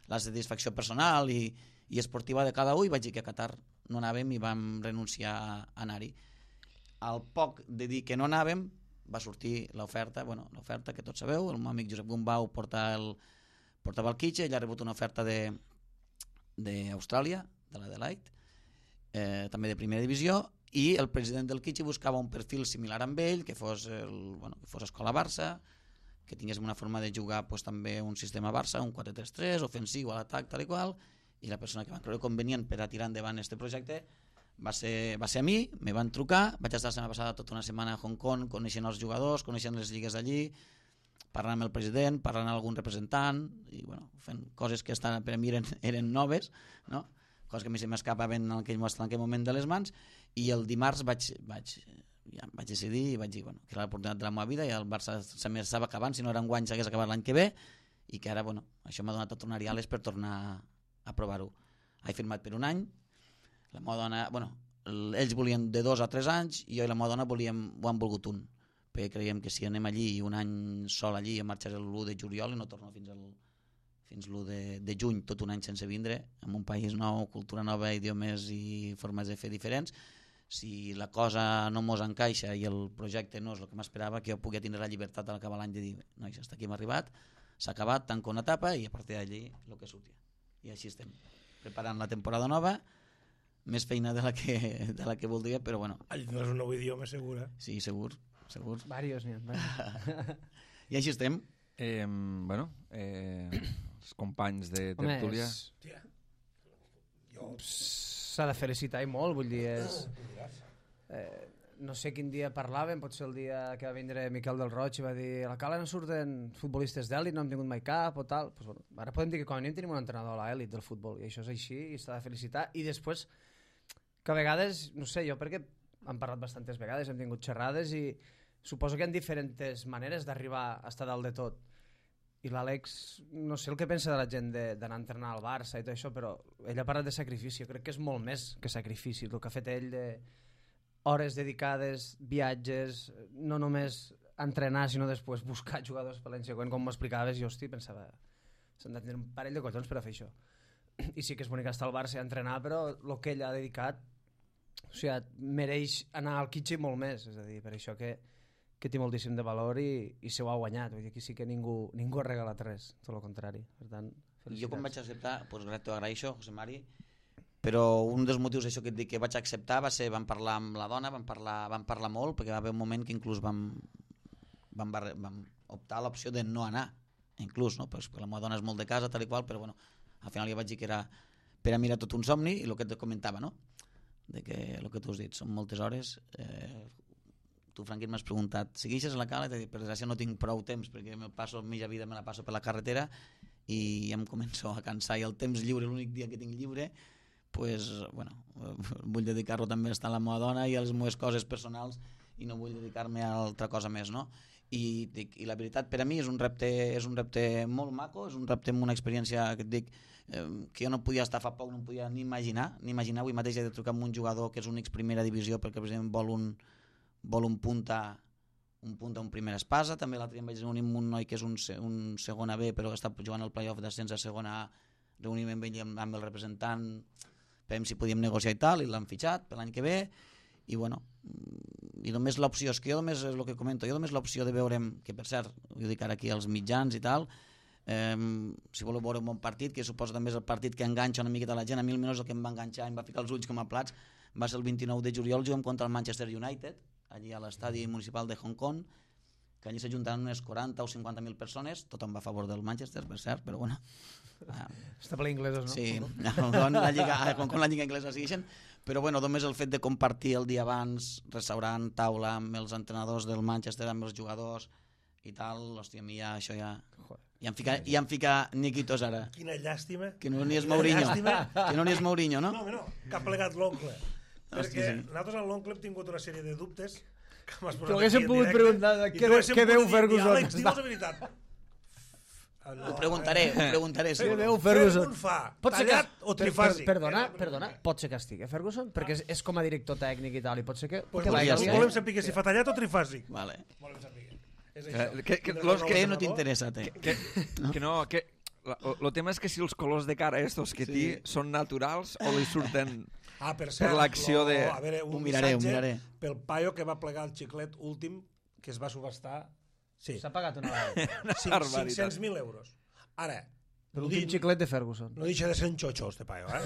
la satisfacció personal i, i esportiva de cada un, i vaig dir que a Qatar no anàvem i vam renunciar a anar-hi. Al poc de dir que no anàvem va sortir l'oferta, bueno, l'oferta que tots sabeu, el meu amic Josep Gumbau porta el, portava el Kitche, ell ha rebut una oferta de d'Austràlia, de l'Adelaide, eh, també de primera divisió, i el president del Kitche buscava un perfil similar amb ell, que fos, el, bueno, que fos escola Barça, que tingués una forma de jugar pues, també un sistema Barça, un quatre tres tres, ofensiu, a l'atac, tal i qual, i la persona que va creure convenient per a tirar endavant aquest projecte va ser, va ser a mi, me van trucar, vaig estar la setmana passada tota una setmana a Hong Kong, coneixent els jugadors, coneixent les lligues d'allí, parlant amb el president, parlant amb algun representant, i bueno, fent coses que estan, per a mi eren, eren noves, no? Coses que a mi se m'escapaven en aquell, en aquell moment de les mans, i el dimarts vaig, vaig, ja vaig decidir i vaig dir bueno, que era l'oportunitat de la meva vida, i el Barça s'estava acabant, si no era un guany s'hagués acabat l'any que ve, i que ara bueno, això m'ha donat tot un ariales per tornar a provar-ho. He firmat per un any, la meva dona, bueno, ells volien de dos a tres anys, i jo i la meva dona volíem, ho han volgut un, perquè creiem que si anem allí un any sol allí, em marxaré l'u de juliol i no torno fins al fins l'u de, de juny, tot un any sense vindre, en un país nou, cultura nova, idiomes i formes de fer diferents. Si la cosa no mos encaixa i el projecte no és el que m'esperava, que jo pugui tindre la llibertat a l'acabar l'any de dir, nois, hasta aquí hem arribat, s'ha acabat, tanco una etapa i a partir d'allí el que surti. I així estem, preparant la temporada nova, més feina de la que, de la que voldria, però bueno. Allí tindràs un nou idioma, segura. Sí, segur, segur. Varios, n'hi ha. I així estem. Eh, bueno, eh, els companys de tertúlia... S'ha de felicitar i molt, vull dir, és... Eh, no sé quin dia parlàvem, potser el dia que va vindre Miquel del Roig i va dir a la Cala no surten futbolistes d'èlit, no hem tingut mai cap o tal. Pues, bueno, ara podem dir que com a mínim tenim un entrenador a l'èlit del futbol i això és així i s'ha de felicitar. I després, que a vegades, no sé, jo perquè hem parlat bastantes vegades, hem tingut xerrades i suposo que hi ha diferents maneres d'arribar a estar dalt de tot. I l'Àlex, no sé el que pensa de la gent d'anar a entrenar al Barça i tot això, però ell ha parlat de sacrifici. Jo crec que és molt més que sacrifici el que ha fet ell de hores dedicades, viatges, no només entrenar, sinó després buscar jugadors per l'any següent, com m'explicaves, jo hosti, pensava, s'han de tenir un parell de collons per a fer això. I sí que és bonic estar al Barça i entrenar, però el que ell ha dedicat, o sigui, mereix anar al Kitche molt més, és a dir, per això que, que té moltíssim de valor i, i se ho ha guanyat, vull dir, aquí sí que ningú, ningú ha regalat res, tot el contrari, per tant, felicitats. Jo quan vaig acceptar, doncs t'ho agraeixo, José Mari, però un dels motius això que et dic que vaig acceptar va ser, vam parlar amb la dona, vam parlar, vam parlar molt, perquè va haver un moment que inclús vam, vam, vam optar a l'opció de no anar, inclús, no? Perquè la meva dona és molt de casa, tal i qual, però bueno, al final ja vaig dir que era per a mi era tot un somni, i el que et comentava, no? De que el que tu has dit, són moltes hores. Eh, tu, Franquín, m'has preguntat, segueixes a la Cala? Per desgràcia no tinc prou temps, perquè me passo, mitja vida me la passo per la carretera i ja em començo a cansar, i el temps lliure, l'únic dia que tinc lliure, pues, bueno, vull dedicar-lo també a estar a la meva dona i a les meves coses personals i no vull dedicar-me a altra cosa més, no? I, i la veritat per a mi és un repte, és un repte molt maco, és un repte amb una experiència que et dic eh, que jo no podia estar fa poc, no em podia ni imaginar, ni imaginar, avui mateix he de trucar amb un jugador que és únic primera divisió perquè precisament vol un, vol un punta un punt a un primera espasa, també l'altre dia em vaig reunir amb un noi que és un, un segona B però que està jugant al play-off d'ascens a segona A, reunir-me amb ell amb, amb el representant per si podíem negociar i tal, i l'han fitxat per l'any que ve, i bueno, i només l'opció, és que jo només és el que comento, jo només l'opció de veure'm, que per cert, jo dic ara aquí als mitjans i tal, eh, si voleu veure un bon partit, que suposo també és el partit que enganxa una miqueta la gent, a mi almenys el que em va enganxar, em va ficar els ulls com a plats, va ser el vint-i-nou de juliol, juguem contra el Manchester United, allí a l'estadi municipal de Hong Kong, que allí s'ajuntaran unes quaranta o cinquanta mil persones, tothom va a favor del Manchester, per cert, però bueno. Uh, Està ple inglesos, no? Sí, la lliga, com, com la lliga anglesa segueixen, però bueno, només el fet de compartir el dia abans, restaurant, taula, amb els entrenadors del Manchester, amb els jugadors i tal, hòstia, a mi ja, això ja, I em fica, i em fica Niquitos ara. Quina llàstima. Que no n'hi és Quina Mourinho. llàstima. Que no n'hi és Mourinho, no? No, no, que ha plegat l'oncle. Hosti, Perquè sí. nosaltres amb l'oncle hem tingut una sèrie de dubtes que m'has Però posat haguéssim aquí en pogut directe, preguntar i què tu veu- haguéssim què veu pogut dir, Ferguson. Àlex, digue'ls la veritat. No, Ho preguntaré, ho preguntaré. Què segur. veu Ferguson? Ferguson fa Pot ser tallat que- o per- trifàsic? per- Perdona, Era la perdona, pregunta. pot ser que estigui Ferguson? Perquè és, és com a director tècnic i tal, i pot ser que... Pues que podria volem, ser. volem saber si fa tallat o trifàsic. Vale. Volem saber. És Eh, això. que- que Tindràs los un Que nou no entrenador? t'interessa, té. Que, que no, que... El tema és que si els colors de cara estos que Sí. té són naturals o li surten... Ah, per cert, per l'acció lo- de- a veure, un Ho miraré, ho missatge miraré. pel paio que va plegar el xiclet últim que es va subestar. Sí, S'ha pagat una vegada. cinc- barbaritat. cinc-cents mil euros. Ara, no, L'últim di- xiclet de Ferguson. no deixa de ser un xotxo, este paio, eh?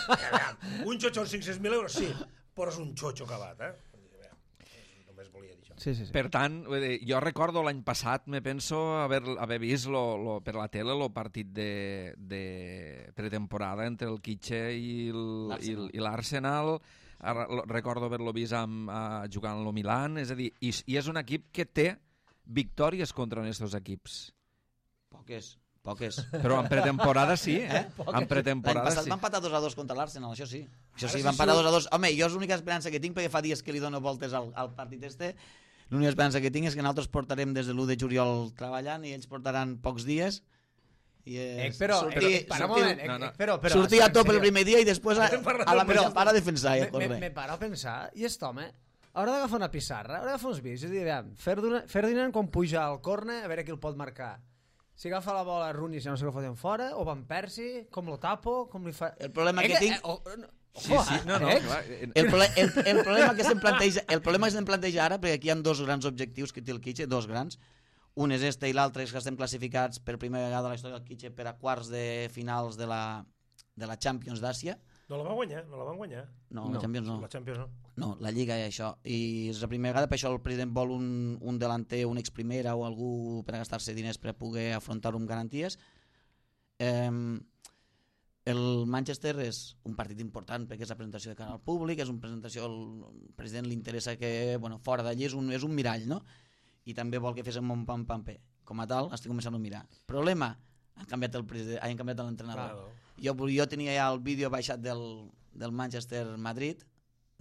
Aviam, un xotxo amb cinc-cents mil euros, sí, però és un xotxo acabat, eh? Aviam, només volia dir això. Sí, sí, sí. Per tant, vull dir, jo recordo l'any passat, me penso haver, haver vist lo, lo, per la tele el partit de, de pretemporada entre el Kitxe i el- i el- i l'Arsenal. Ara lo- Recordo haver-lo vist amb, a, jugant al Milan, és a dir, i, i és un equip que té victòries contra aquests equips. Poques, poques. Però en pretemporada sí, eh? Eh? En L'any pretemporada passat sí. va empatar dos a dos contra l'Arsenal, això sí. Això Ara sí, sí va empatar surt- dos a dos. Home, jo és l'única esperança que tinc, perquè fa dies que li dono voltes al, al partit este, l'única esperança que tinc és que nosaltres portarem des de l'u de juliol treballant i ells portaran pocs dies. I Eh, és, però, sortir, eh, para un sortir, moment, eh, no, no. eh, però, però, sortir a en top el sèrio. primer dia i després a, Estem parlant a la del mitja Barça. part a defensar i a Me, me, córrer. me paro a pensar, i aquest home haurà d'agafar una pissarra, haurà d'agafar uns vídeos i dir, aviam, Ferdinand, Ferdinand quan puja al córner, a veure qui el pot marcar. Si agafa la bola Rooney, si no sé què foten fora, o Van Persie, com lo tapo, com li fa... El problema Eh, que tinc- Eh, oh, no, Sí, ojo, sí, eh, no, no, eh? clar. eh, El, prole el, el, problema que se'm planteja, el problema que se'm planteja ara, perquè aquí hi ha dos grans objectius que té el Kitxe, dos grans. Un és este i l'altre és que estem classificats per primera vegada a la història del Kitxe per a quarts de finals de la, de la Champions d'Àsia. No la van guanyar, no la van guanyar. No, No, la Champions no. La Champions no. No, la Lliga i això. I és la primera vegada, per això el president vol un, un delanter, un ex-primera o algú per a gastar-se diners per a poder afrontar-ho amb garanties. Eh, el Manchester és un partit important perquè és la presentació de cara al públic, és una presentació, el president li interessa que, bueno, fora d'allí és un, és un mirall, no? I també vol que fes un pam pam pam. Com a tal, estic començant a mirar. Problema, han canviat el president, han canviat l'entrenador. Claro. Jo, jo tenia ja el vídeo baixat del, del Manchester Madrid,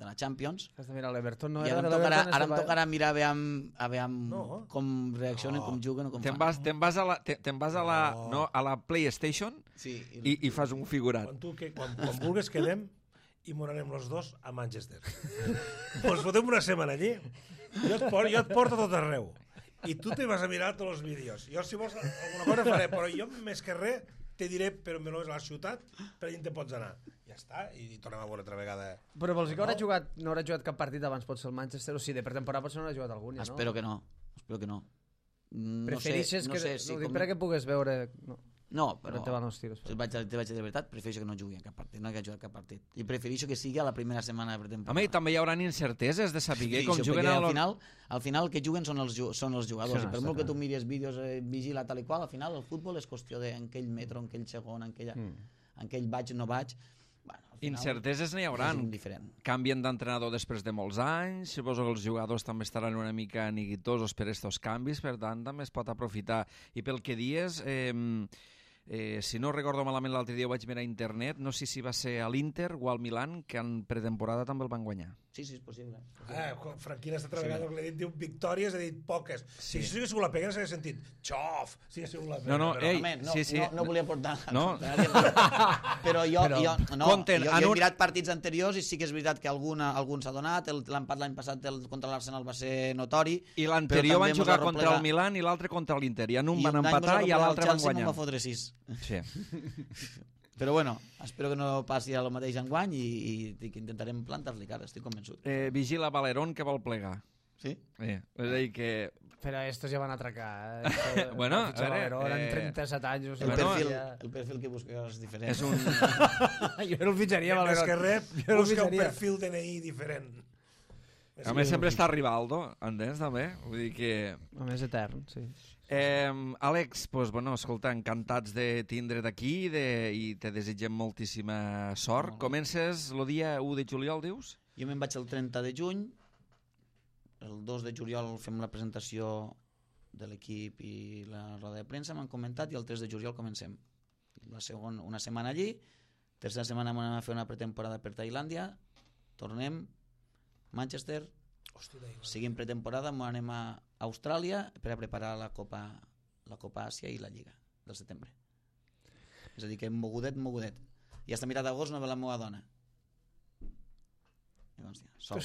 de la Champions, Has de mirar l'Everton, no i era ara em de tocarà, l'Everton, ara em este tocarà mirar aviam, aviam No. com reaccionen, No. com juguen o com Te'n fan. vas, te'n vas, a la, te- te'n vas a, la, No. no, a la PlayStation Sí, i, i fas un figurat. Quan, tu, que, quan, quan vulguis quedem i morarem els dos a Manchester. Ens fotem una setmana allí, jo et, por, jo et porto a tot arreu. I tu te vas a mirar tots els vídeos. Jo, si vols, alguna cosa faré, però jo més que res te diré per on és la ciutat, per allà te pots anar. Ja està, i tornem a veure altra vegada. Però vols dir que haurà No. jugat, no haurà jugat cap partit abans, pot ser el Manchester, o sigui, de pretemporada potser no haurà jugat algun, ja, no? Espero que no, espero que no. No Preferixes sé, no que... sé si no, dic com... perquè pugues veure... No, No, però però... te van els tiros. Si vaig, te vaig dir de veritat, prefereixo que no jugui en cap partit, no que jugar cap partit. I prefereixo que sigui a la primera setmana de pretemporada. Home, i també hi haurà incerteses de saber Sí, com això, juguen perquè al... al final, al final el que juguen són els, ju- són els jugadors, Sí, i per està molt que clar. tu miris vídeos, eh, vigila tal i qual, al final el futbol és qüestió de en aquell metro, en aquell segon, en, aquella, Mm. en aquell vaig, no vaig. Bueno, al final, Incerteses n'hi haurà. és indiferent. Canvien d'entrenador després de molts anys, suposo que els jugadors també estaran una mica neguitosos per estos canvis, per tant també es pot aprofitar. I pel que dies, eh, eh, si no recordo malament l'altre dia ho vaig mirar a internet, no sé si va ser a l'Inter o al Milan, que en pretemporada també el van guanyar. Sí, sí, és possible. Ah, Franquina està treballant, sí. L'he dit, diu victòries, ha dit poques. Sí. Si això hagués sigut la pega, s'hagués sentit xof, si hagués sigut la pega. No, no, però... ei, Home, no, sí, sí. no, no volia portar No. però jo, Però, jo, no, compten, jo, en jo he un- mirat partits anteriors i sí que és veritat que alguna, algun s'ha donat, el- l'empat l'any passat el, contra l'Arsenal va ser notori, I l'anterior però van també jugar mos va contra el replegar. Milan i l'altre contra l'Inter, i en un i van un any mos empatar va i a replegar l'altre el van Chelsea, guanyar. me'n va fotre sis. Sí. Però bueno, espero que no passi el mateix enguany i, i, i que intentarem plantar-li cara, estic convençut. Eh, vigila Valerón, que vol plegar. Sí? Eh, és a dir que... Però estos ja van atracar, eh? Esto- Bueno, van fitxar a veure, Valero, eren eh, trenta-set anys. O El, sigui, Bueno, perfil, ja- el perfil que busques és diferent. És un... jo no el fitxaria, Més Valero. que res, Jo no el busca un fitxaria. perfil D N I diferent. A més, sempre està Rivaldo, entens, també? Vull dir que... A més etern, sí. Eh, Àlex, pues, bueno, escolta, encantats de tindre't aquí de, i te desitgem moltíssima sort. Molt bé. Comences el dia u de juliol, dius? Jo me'n vaig el trenta de juny, el dos de juliol fem la presentació de l'equip i la roda de premsa m'han comentat i el tres de juliol comencem. La segona, una setmana allí, tercera setmana anem a fer una pretemporada per Tailàndia, tornem, Manchester, seguim pretemporada, anem a Austràlia per a preparar la Copa, la Copa Àsia i la Lliga del setembre. És a dir, que mogudet, mogudet. I fins a mirat d'agost no ve la meva dona. Llavors, ja, sol.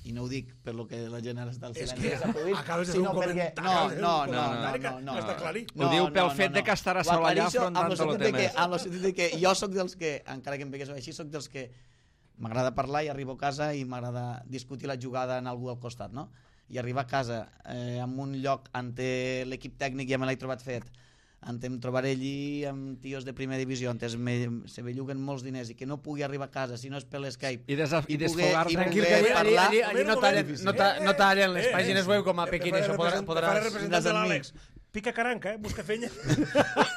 I no ho dic per lo que la gent ara està al silenci. És que acabes de fer un comentari. No, no, no, no, no. Està clarit. Ho diu pel fet de que estarà sol allà afrontant-lo temes. Amb el sentit que jo sóc dels que, encara que em pegués així, sóc dels que m'agrada parlar i arribo a casa i m'agrada discutir la jugada en algú al costat, no? I arribar a casa eh, en un lloc ante l'equip tècnic ja me l'he trobat fet, ante em trobaré allí amb tios de primera divisió, ante me, se belluguen molts diners i que no pugui arribar a casa si no és per l'Skype i, desaf i desfogar-se. Tranquil, que allí, allí, allí, allí no tallen, no, ta, no tallen les pàgines web com a Pequín, això podràs... Farà representant de l'Àlex. Pica caranca, eh? Busca fenya.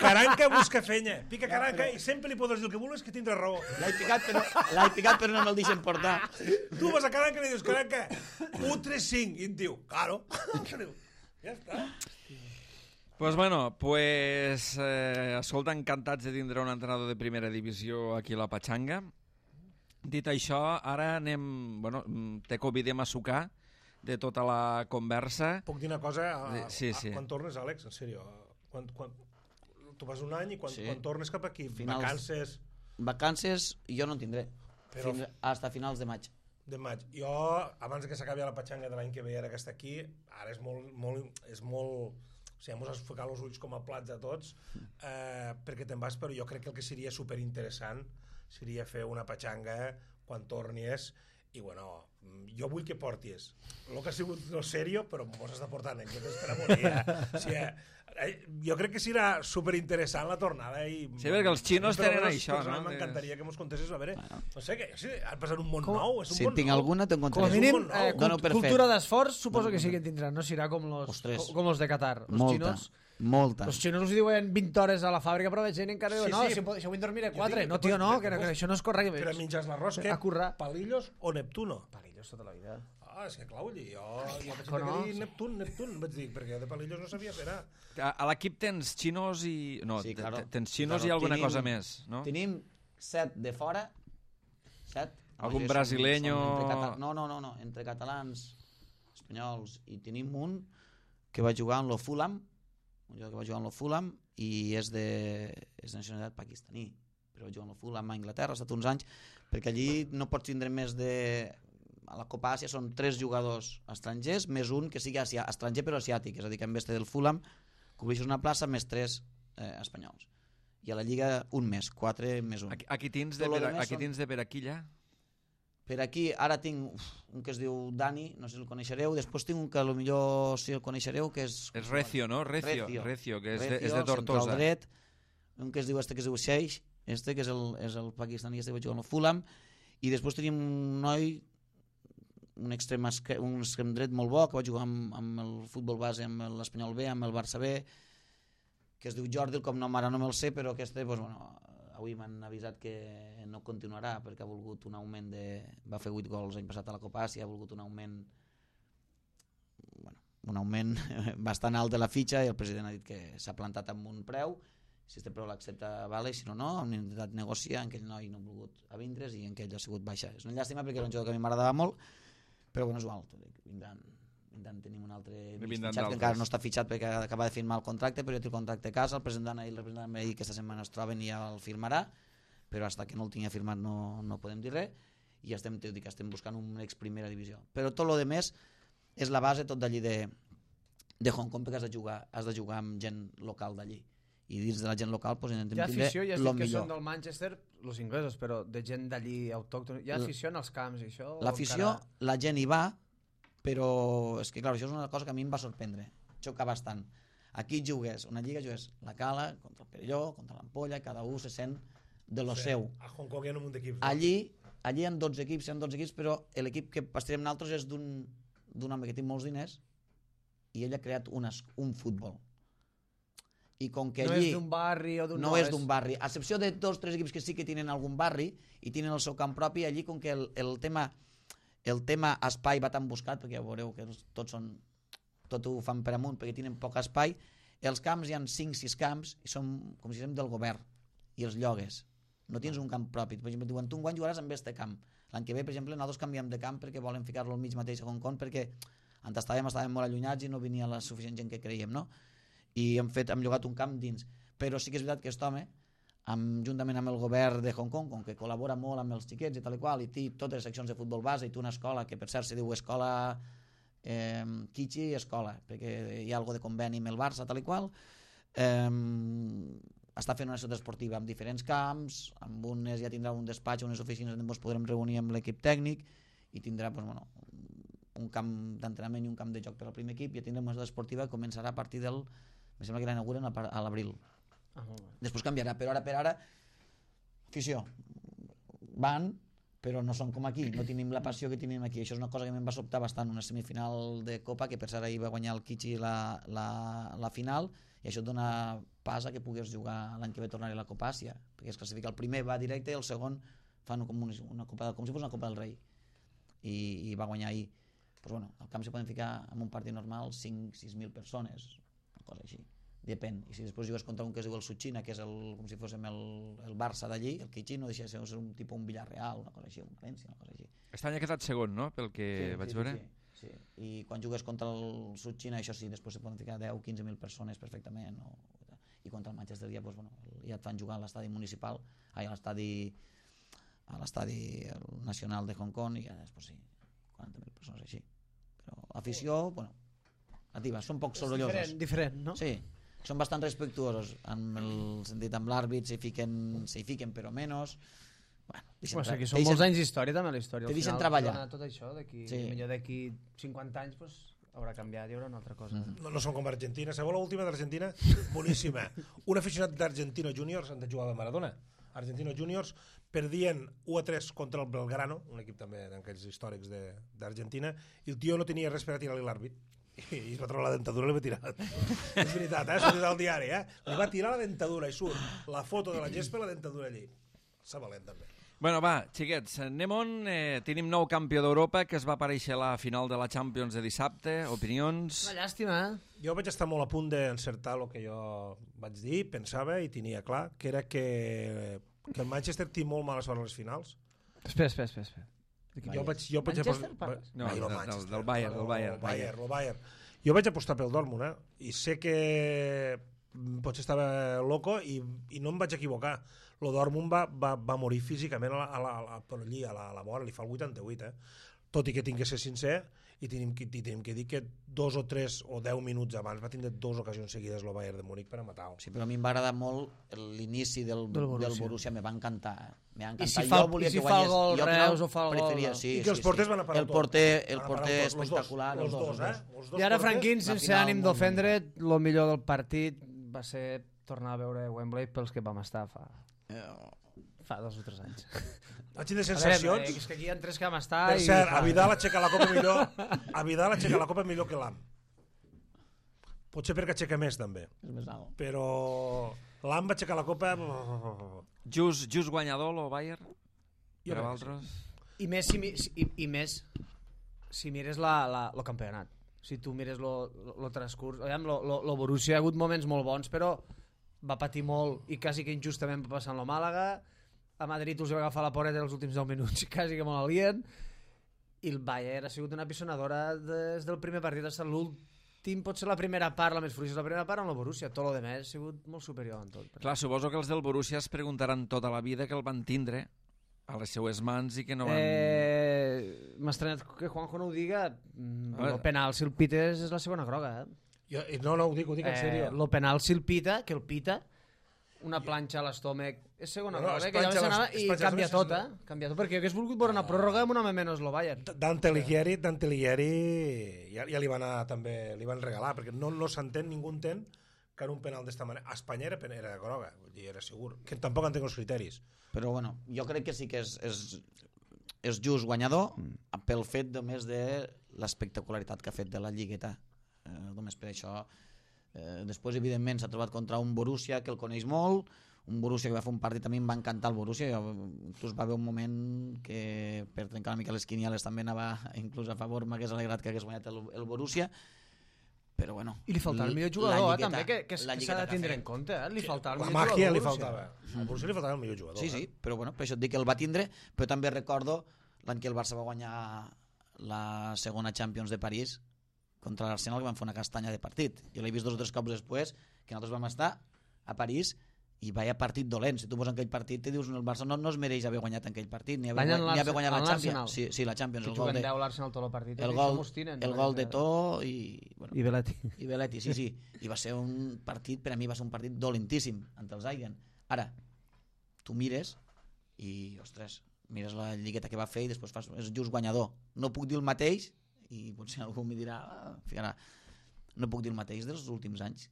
Caranca, busca fenya. Pica caranca i sempre li podràs dir el que vulguis que tindrà raó. L'he picat, però, l'he picat però no me'l deixen portar. Tu vas a caranca i li dius, caranca, u tres cinc, i et diu, claro. Ja està. Pues bueno, pues, eh, escolta, encantats de tindre un entrenador de primera divisió aquí a la Patxanga. Dit això, ara anem... Bueno, te convidem a sucar de tota la conversa. Puc dir una cosa? A, sí, sí. A, quan tornes, Àlex? En sèrio. Quan, quan, tu vas un any i quan, sí. quan tornes cap aquí? Finals, vacances... Vacances jo no en tindré. Però... Fins hasta finals de maig. De maig. Jo, abans que s'acabi la Patxanga de l'any que ve, ara que està aquí, ara és molt... molt, és molt o sigui, ens has ficat els ulls com a plats a tots, eh, perquè te'n vas, però jo crec que el que seria superinteressant seria fer una Patxanga quan tornis, i bueno, jo vull que portis el que ha sigut no sèrio, però mos has de portar anècdotes per a morir. Eh? O sigui, eh, jo crec que serà superinteressant la tornada. I, sí, perquè els xinos tenen això, no? M'encantaria que mos contessis, a veure, no sé, que sí, ha passat un món com? Nou, és un si món tinc nou. alguna, te'n contaré. Com a mínim, eh, Dono per cultura fet. d'esforç suposo que sí que tindran, no serà com los, Ostres. com los de Qatar. Los Molta, xinos, molta. los xinos us diuen vint hores a la fàbrica, però veig gent encara diu, Sí, no, sí. si, si avui en dormiré Jo quatre. dic No, que tio, pots- no, que que, que pots- això no és correcte. Però menges l'arròs, què? A currar. Palillos o Neptuno? Palillos tota la vida. Ah, és que clar, vull dir, jo, jo vaig No, dir sí. Neptun, Neptun, vaig dir, perquè de Palillos no sabia fer ara. A, a l'equip tens xinos i... No, Sí, te- claro. te- tens xinos Claro, i alguna tenim- cosa més, no? Tenim set de fora, set. Algun Som- som brasileño- entre cata- No, no, no, no, entre catalans, espanyols, i tenim un que va jugar en lo Fulham, un jugador que va jugar en lo Fulham i és de, és de nacionalitat pakistaní, però va jugar en lo Fulham a Anglaterra, ha estat uns anys, perquè allí no pots tindre més de... A la Copa Àsia són tres jugadors estrangers, més un que sigui asia, estranger però asiàtic, és a dir, que en vez del Fulham cobreixes una plaça més tres eh, espanyols. I a la Lliga un més, quatre més un. Aquí, aquí tens de Tot lo per, demés aquí són- tens de per aquí, ja? Per aquí ara tinc uf, un que es diu Dani, no sé si el coneixereu, després tinc un que potser si el coneixereu, que és... És Recio, no? Recio, Recio. Recio, que és, Recio, de, és de Tortosa. central dret, un que es diu este que es diu Sheix, este que és el, és el pakistaní, este que va jugar al Fulham, i després tenim un noi, un extrem, esque- un extrem dret molt bo, que va jugar amb, amb el futbol base, amb l'Espanyol B, amb el Barça B, que es diu Jordi, el cognom ara no me'l sé, però aquest, doncs, bueno, avui m'han avisat que no continuarà perquè ha volgut un augment de... va fer vuit gols l'any passat a la Copa Àsia, ha volgut un augment bueno, un augment bastant alt de la fitxa, i el president ha dit que s'ha plantat amb un preu, si este preu l'accepta vale, si no no, hem intentat negociar, en aquell noi no ha volgut a vindre's i en aquell ha sigut baixa. És una llàstima perquè era un jugador que a mi m'agradava molt, però bueno, és igual, vindran, vindran tenim un altre mig Vindran fitxat, que d'altres. encara no està fitxat perquè acaba de firmar el contracte, però ja té el contracte a casa, el president i el representant m'ha dit que aquesta setmana es troben i ja el firmarà, però fins que no el tingui firmat no, no podem dir res, i estem, dic, estem buscant un ex primera divisió. Però tot el més és la base tot d'allí de, de Hong Kong, perquè has de jugar, has de jugar amb gent local d'allí, i dins de la gent local pues, intentem Hi ha tindre afició, ja has el dit que millor. són del Manchester, els inglesos, però de gent d'allí autòctona. Hi ha afició en els camps i això? o L'afició, encara- la gent hi va, però és que clar, això és una cosa que a mi em va sorprendre, xoca bastant. Aquí jugues, una lliga jugues la Cala contra el Perelló, contra l'Ampolla, cada un se sent de lo seu. A Hong Kong hi ha un munt d'equips. Allí, allí hi ha dotze equips, hi ha dotze equips, però l'equip que pastarem nosaltres és d'un d'un home que té molts diners i ell ha creat unes, un futbol. I com que No allí és d'un barri o d'un... no és d'un barri, a excepció de dos o tres equips que sí que tenen algun barri i tenen el seu camp propi, allí com que el, el tema el tema espai va tan buscat, perquè ja veureu que els- tots són tot ho fan per amunt perquè tenen poc espai. Els camps hi ha cinc sis camps i són com si féssim del govern, i els llogues. No tens un camp propi. Per exemple, diuen, tu enguany jugaràs amb este camp. L'any que ve, per exemple, nosaltres canviem de camp perquè volen ficar-lo al mig mateix a Hong Kong, perquè on estàvem, estàvem molt allunyats i no venia la suficient gent que creiem, no? I hem, fet, hem llogat un camp dins. Però sí que és veritat que aquest home, amb, juntament amb el govern de Hong Kong, com que col·labora molt amb els xiquets i tal i qual, i té totes les seccions de futbol base, i té una escola, que per cert se diu Escola eh, Kichi Escola, perquè hi ha algo de conveni amb el Barça, tal i qual, eh, està fent una ciutat esportiva amb diferents camps, amb unes ja tindrà un despatx, unes oficines on ens podrem reunir amb l'equip tècnic, i tindrà pues, bueno, un camp d'entrenament i un camp de joc per al primer equip, i ja tindrem una ciutat esportiva que començarà a partir del... em sembla que l'inauguren a l'abril. Ah, després canviarà, però ara per ara afició, van, però no són com aquí, no tenim la passió que tenim aquí. Això és una cosa que em va sobtar bastant, una semifinal de Copa, que per cert ahir va guanyar el Kichi la, la, la final, i això et dona pas a que puguis jugar l'any que ve tornar a la Copa Àsia, perquè es classifica el primer, va directe, i el segon fan com, una, una copa, com si fos una Copa del Rei, i, i va guanyar ahir. Pues bueno, al camp se poden ficar en un partit normal cinc sis mil persones, una cosa així, depèn. I si després jugues contra un que es diu el Suchina, que és el, com si fóssim el, el Barça d'allí, el Kichi no deixa de ser un tipus un Villarreal, una cosa així, un València, una cosa així. Aquest any ha quedat segon, no?, pel que sí, vaig sí, veure. Sí, sí, sí. I quan jugues contra el Suchina, això sí, després se poden ficar deu o quinze mil persones perfectament, o... i contra el Manchester ja, pues, bueno, ja et fan jugar a l'estadi municipal, ai, a l'estadi a l'estadi nacional de Hong Kong, i ja després sí, quaranta mil persones així. Però afició, bueno, ativa, són poc sorollosos. Diferent, diferent, no? Sí, són bastant respectuosos en el sentit amb l'àrbit, s'hi fiquen, s'hi fiquen però menys. Bueno, pues aquí són molts anys d'història també, la història. Te deixen treballar. Tot això, d'aquí sí. millor d'aquí cinquanta anys pues, haurà canviat, hi haurà una altra cosa. Mm. No, no són com Argentina. Sabeu l'última d'Argentina? Boníssima. Un aficionat d'Argentino Juniors, han de jugar a Maradona. Argentino Juniors perdien u a tres contra el Belgrano, un equip també d'aquells històrics d'Argentina, i el tio no tenia res per a tirar-li l'àrbit. I es va treure la dentadura i li va tirar. És veritat, eh? S'ha dit al diari, eh? Li va tirar la dentadura i surt la foto de la gespa i la dentadura allí. S'ha valent, també. Bueno, va, xiquets, anem on. Eh, tenim nou campió d'Europa que es va aparèixer a la final de la Champions de dissabte. Opinions? Una llàstima, eh? Jo vaig estar molt a punt d'encertar el que jo vaig dir, pensava i tenia clar, que era que, que el Manchester té molt mala sort a les finals. Espera, espera, espera. espera. Jo vaig, jo vaig Manchester, apostar... parles? No, Ai, del, del, del Bayern, del Bayern. El Bayern, el Bayern. Jo vaig apostar pel Dortmund, eh? I sé que potser estava loco i, i no em vaig equivocar. El Dortmund va, va, va morir físicament a la, a la, a la, per allí, a la, a la vora, li fa el vuitanta-vuit, eh? Tot i que tinc que ser sincer, i tenim que, i tenim que dir que dos o tres o deu minuts abans va tindre dues ocasions seguides el Bayern de Múnich per a matar-ho. Sí, però a mi em va agradar molt l'inici del, del Borussia, del Borussia me va encantar. Eh? Me va encantar. I si fa, jo volia i si que fa guanyés, el gol jo Reus o fa el gol... Sí, I que els sí, porters sí. van a parar el tot. porter, el Van a porter parar tot, espectacular. Els dos, els eh? dos. Els dos I ara, porters. Franquín, la sense final ànim molt d'ofendre, el millor del partit va ser tornar a veure Wembley pels que vam estar fa, Eh, fa dos o tres anys. Vaig tindre A veure, sensacions... eh, és que aquí hi ha tres que vam estar... Per i cert, fa- a Vidal aixeca la copa millor a Vidal aixeca la copa millor que l'Am. Potser perquè aixeca més, també. és més alt. Però l'Am va aixecar la copa... Just, just guanyador, el Bayern? Jo Per a crec que vosaltres? I més si, mi- si- i, i més si mires la, la, lo campionat. Si tu mires lo, lo, lo transcurs... Aviam, lo, lo, lo Borussia ha hagut moments molt bons, però va patir molt i quasi que injustament va passar en lo Màlaga. A Madrid us va agafar la poreta els últims deu minuts i quasi que molt alien. I el Bayern ha sigut una pisonadora des del primer partit fins a l'últim, potser la primera part, la més fluixa, la primera part amb el Borussia. Tot lo demés ha sigut molt superior en tot. Clar, suposo que els del Borussia es preguntaran tota la vida que el van tindre a les seues mans i que no van... Eh, M'ha estranyat que Juanjo no ho diga. Mm, A veure. el penal, si el pites, és la segona groga. Eh? Jo, no, no, ho dic, ho dic en sèrio. Eh, lo penal, si el pita, que el pita, una planxa a l'estómac, és segona No, no, groga, es que ja planxa s'anava les- es i planxa canvia les- tot, eh? Canvia tot, perquè jo hagués volgut veure una pròrroga amb una home menys lo Bayern. Dante Alighieri, Dante Alighieri ja, ja li van anar també, li van regalar, perquè no, no s'entén, ningú entén que en un penal d'esta manera... A Espanya era, pen- era groga, vull dir, era segur. Que tampoc entenc els criteris. Però bueno, jo crec que sí que és, és, és just guanyador pel fet només de l'espectacularitat que ha fet de la lligueta. Eh, només per això. Eh, després, evidentment, s'ha trobat contra un Borussia que el coneix molt, un Borussia que va fer un partit, a mi em va encantar el Borussia, jo, inclús va haver un moment que per trencar una mica les quinieles també anava inclús a favor, m'hagués alegrat que hagués guanyat el, el Borussia, però bueno... I li faltava el millor jugador, eh, també, que, que, que s'ha de tindre en compte. Eh? Li faltava el La millor màgia jugador. li faltava. Al Borussia li faltava el millor jugador. Sí, sí, però, bueno, per això et dic que el va tindre, però també recordo l'any que el Barça va guanyar la segona Champions de París contra l'Arsenal, que van fer una castanya de partit. Jo l'he vist dos o tres cops després, que nosaltres vam estar a París, i vaya partit dolent. Si tu poses en aquell partit te dius el Barça no, no es mereix haver guanyat en aquell partit ni haver, ni haver guanyat la Champions. Sí, sí, la Champions. Que el gol de, deu l'Arsenal tot el partit. El gol, el gol de To i... Bueno, I Belletti. I Belletti, sí, sí. I va ser un partit, per a mi va ser un partit dolentíssim ante els Aigen. Ara, tu mires i, ostres, mires la lligueta que va fer i després fas, és just guanyador. No puc dir el mateix, i potser algú m'hi dirà, ah, ficarà, no puc dir el mateix dels últims anys.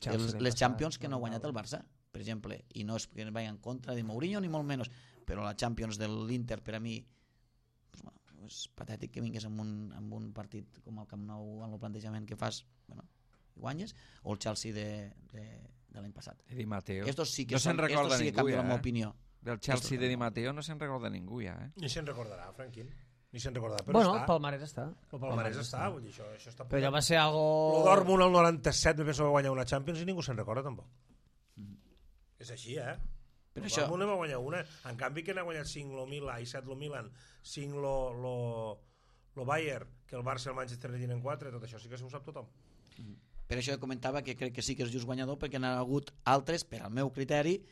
Els, les Champions que no ha guanyat el Barça, per exemple, i no és que vagi en contra de Mourinho ni molt menys, però la Champions de l'Inter per a mi pues, bueno, és patètic que vingués amb un, amb un partit com el Camp Nou amb el plantejament que fas, bueno, i guanyes, o el Chelsea de, de, de l'any passat. Di Matteo. Estos sí que, no son, recorda estos sí que ningú, canvien ja, la meva eh? opinió. Del Chelsea de Di Matteo no se'n recorda ningú ja, eh? Ni se'n recordarà, Franquín. Ni se'n recordarà, però Bueno, està. el palmarès està. El palmarès està, vull dir, això, això està... Però allò va ser algo... El Dortmund al noranta-set me penso que va guanyar una Champions i ningú se'n recorda tampoc. Mm. És així, eh? Però el això... Dortmund va guanyar una. En canvi que n'ha guanyat cinc lo Milan i set lo Milan, cinc lo, lo, lo Bayern, que el Barça i el Manchester ne tenen quatre, tot això sí que s'ho sap tothom. Mm. Per això comentava que crec que sí que és just guanyador, perquè n'ha hagut altres, per al meu criteri,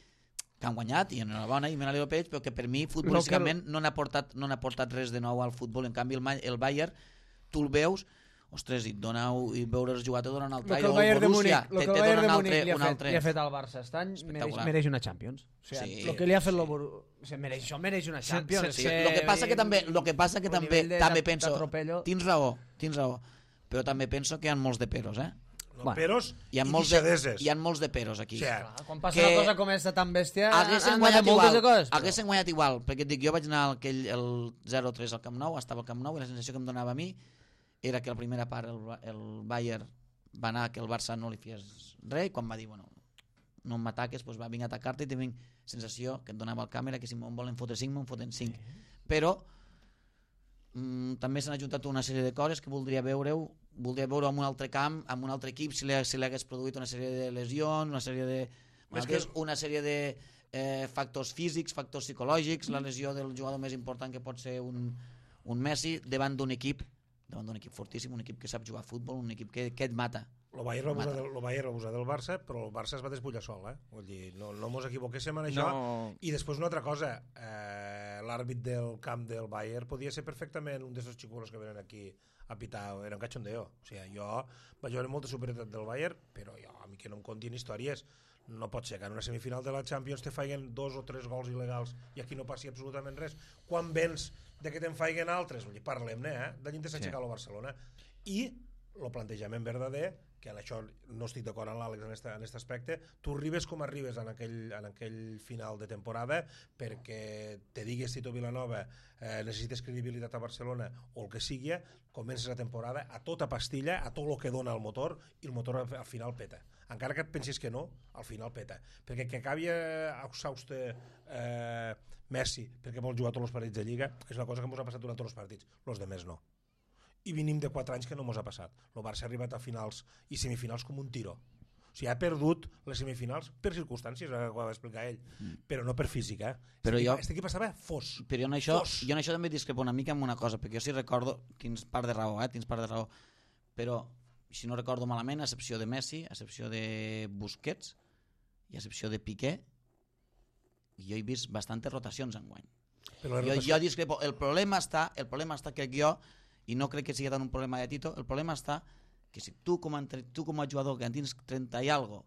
que han guanyat, i enhorabona, i me n'alegro per ells, però que per mi futbolísticament no n'ha portat, no n'ha portat res de nou al futbol. En canvi el, el Bayern, tu el veus, ostres, i, dona, i veure's jugar te dona un altre, el que el Bayern de Múnich, el que el Bayern de Múnich li, ha fet, li ha fet al Barça aquest any mereix, mereix una Champions. O sigui, sí, el que li ha fet sí. Lo, o sigui, mereix, això mereix una Champions. Sí, sí, sí. Lo que passa que també, lo que passa que també, també penso, tens raó, tens raó, però també penso que hi ha molts de peros, eh? No, bueno, peros hi ha i molts de, deixadeses. hi ha molts de peros aquí. Sí. Clar, quan passa una cosa com aquesta tan bèstia haguessin guanyat igual, haguessin guanyat igual, perquè et dic, jo vaig anar al, aquell, el zero tres al Camp Nou, estava al Camp Nou i la sensació que em donava a mi era que la primera part el, el Bayern va anar que el Barça no li fies res, i quan va dir, bueno, no m'ataques, doncs va, vinc a atacar-te, i tinc sensació que et donava el càmera que si me'n volen fotre cinc, me'n foten cinc. Però mm, també s'han ajuntat una sèrie de coses que voldria veure-ho voldria veure en un altre camp, en un altre equip, si li, si li hagués produït una sèrie de lesions, una sèrie de, una, que... una sèrie de eh, factors físics, factors psicològics, la lesió del jugador més important que pot ser un, un Messi davant d'un equip, davant d'un equip fortíssim, un equip que sap jugar a futbol, un equip que, que et mata. El Bayern va abusar del, el Bayern va abusar del Barça, però el Barça es va despullar sol, eh? Vull dir, no, no mos equivoquéssim en això. No. I després una altra cosa, eh, l'àrbit del camp del Bayern podia ser perfectament un d'aquests xicuelos que venen aquí a pitar, era un cachondeo. O sigui, jo vaig veure molta superioritat del Bayern, però jo, a mi que no em contin històries, no pot ser que en una semifinal de la Champions te faiguen dos o tres gols il·legals i aquí no passi absolutament res. Quan vens de que te'n faiguen altres, vull dir, parlem-ne, eh? D'allí te s'ha aixecat el Barcelona. I el plantejament verdader, que en això no estic d'acord amb l'Àlex en aquest aspecte, tu arribes com arribes en aquell, en aquell final de temporada perquè te digues Tito Vilanova eh, necessites credibilitat a Barcelona o el que sigui, comences la temporada a tota pastilla, a tot el que dona el motor, i el motor al final peta. Encara que et pensis que no, al final peta. Perquè que acabi exhauste eh, Messi perquè vol jugar tots els partits de Lliga és una cosa que ens ha passat durant tots els partits, els de més no. I venim de quatre anys que no mos ha passat. El Barça ha arribat a finals i semifinals com un tiro. O sigui, ha perdut les semifinals per circumstàncies, ho va explicar ell, mm. però no per física. Eh? Però este, jo, este equip estava fos. Però jo en, això, fos. jo en això també discrepo una mica amb una cosa, perquè jo sí recordo, tens part de raó, eh? tens part de raó, però si no recordo malament, a excepció de Messi, a excepció de Busquets i a excepció de Piqué, jo he vist bastantes rotacions enguany. Jo, rotació... jo discrepo. El problema està, el problema està que jo i no crec que sigui tant un problema de Tito, el problema està que si tu com a, tu com a jugador que en tens trenta i algo,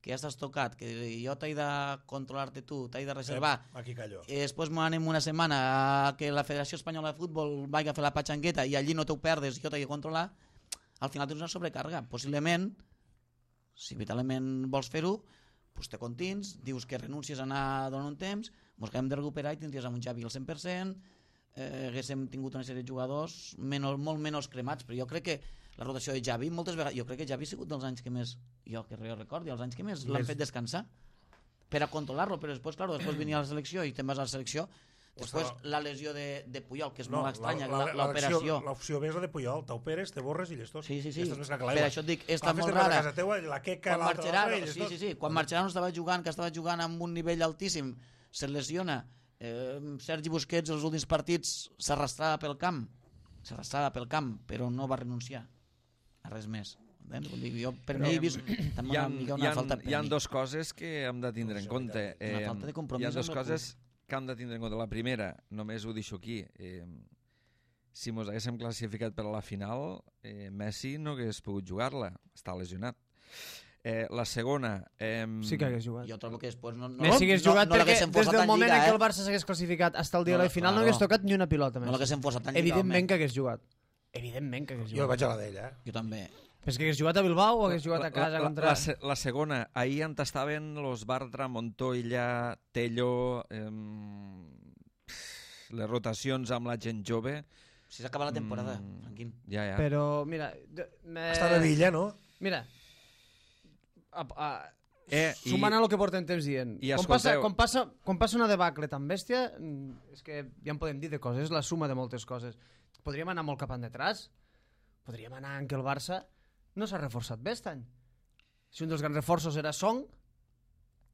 que ja estàs tocat, que jo t'he de controlar-te tu, t'he de reservar, eh, aquí callo. I després m'anem una setmana a que la Federació Espanyola de Futbol vagi a fer la patxangueta i allí no t'ho perdes i jo t'he de controlar, al final tens una sobrecàrrega. Possiblement, si vitalment vols fer-ho, doncs te contins, dius que renuncies a anar donant un temps, mos acabem de recuperar i tindries amb un Xavi al cent per cent, eh, haguéssim tingut una sèrie de jugadors menys, molt menys cremats, però jo crec que la rotació de Xavi moltes vegades, jo crec que Xavi ha sigut dels anys que més, jo que jo recordi, els anys que més l'han fet descansar per a controlar-lo, però després, clar, després venia a la selecció i te'n vas a la selecció, Després, estava... la lesió de, de Puyol, que és no, molt estranya, la, la, la, l'operació. L'opció B és la de Puyol, t'operes, te borres i llestos. Sí, sí, sí. Per per això et dic, està molt rara. Casa teua, la queca, quan l'altra, Marcherano, l'altra, sí, sí, sí. Quan Marcherano estava jugant, que estava jugant amb un nivell altíssim, se lesiona, eh, Sergi Busquets els últims partits s'arrastrava pel camp, s'arrastrava pel camp, però no va renunciar a res més. Vull dir, jo per mi he vist també una mica una falta de Hi ha dues coses que hem de tindre en compte. Una falta de compromís. Hi ha dues coses que hem de tindre en compte. La primera, només ho deixo aquí, eh, si mos haguéssim classificat per a la final, eh, Messi no hagués pogut jugar-la, està lesionat. Eh, la segona... Eh, sí que hagués jugat. Jo trobo que després no, no, Messi hagués jugat no, no perquè des del moment Lliga, en què eh? el Barça s'hagués classificat fins al dia no, de la final claro. no hagués tocat ni una pilota més. No l'haguéssim posat tan Lliga. Evidentment que hagués jugat. Evidentment que hagués jugat. Jo vaig a la d'ella. Jo també. Però és que hagués jugat a Bilbao o hagués jugat a casa la, la, contra... La, la segona, ahir en tastaven los Bartra, Montoya, Tello, eh, les rotacions amb la gent jove. Si s'acaba la temporada, mm, Franquín. Ja, ja. Però, mira... Me... Està de Villa, no? Mira, a, a, Eh, i- sumant a el que portem temps dient, i quan, passa, escolteu- quan, passa, quan passa una debacle tan bèstia, mm, és que ja en podem dir de coses, és la suma de moltes coses. Podríem anar molt cap endetràs, podríem anar en què el Barça no s'ha reforçat bé aquest any. Si un dels grans reforços era Song,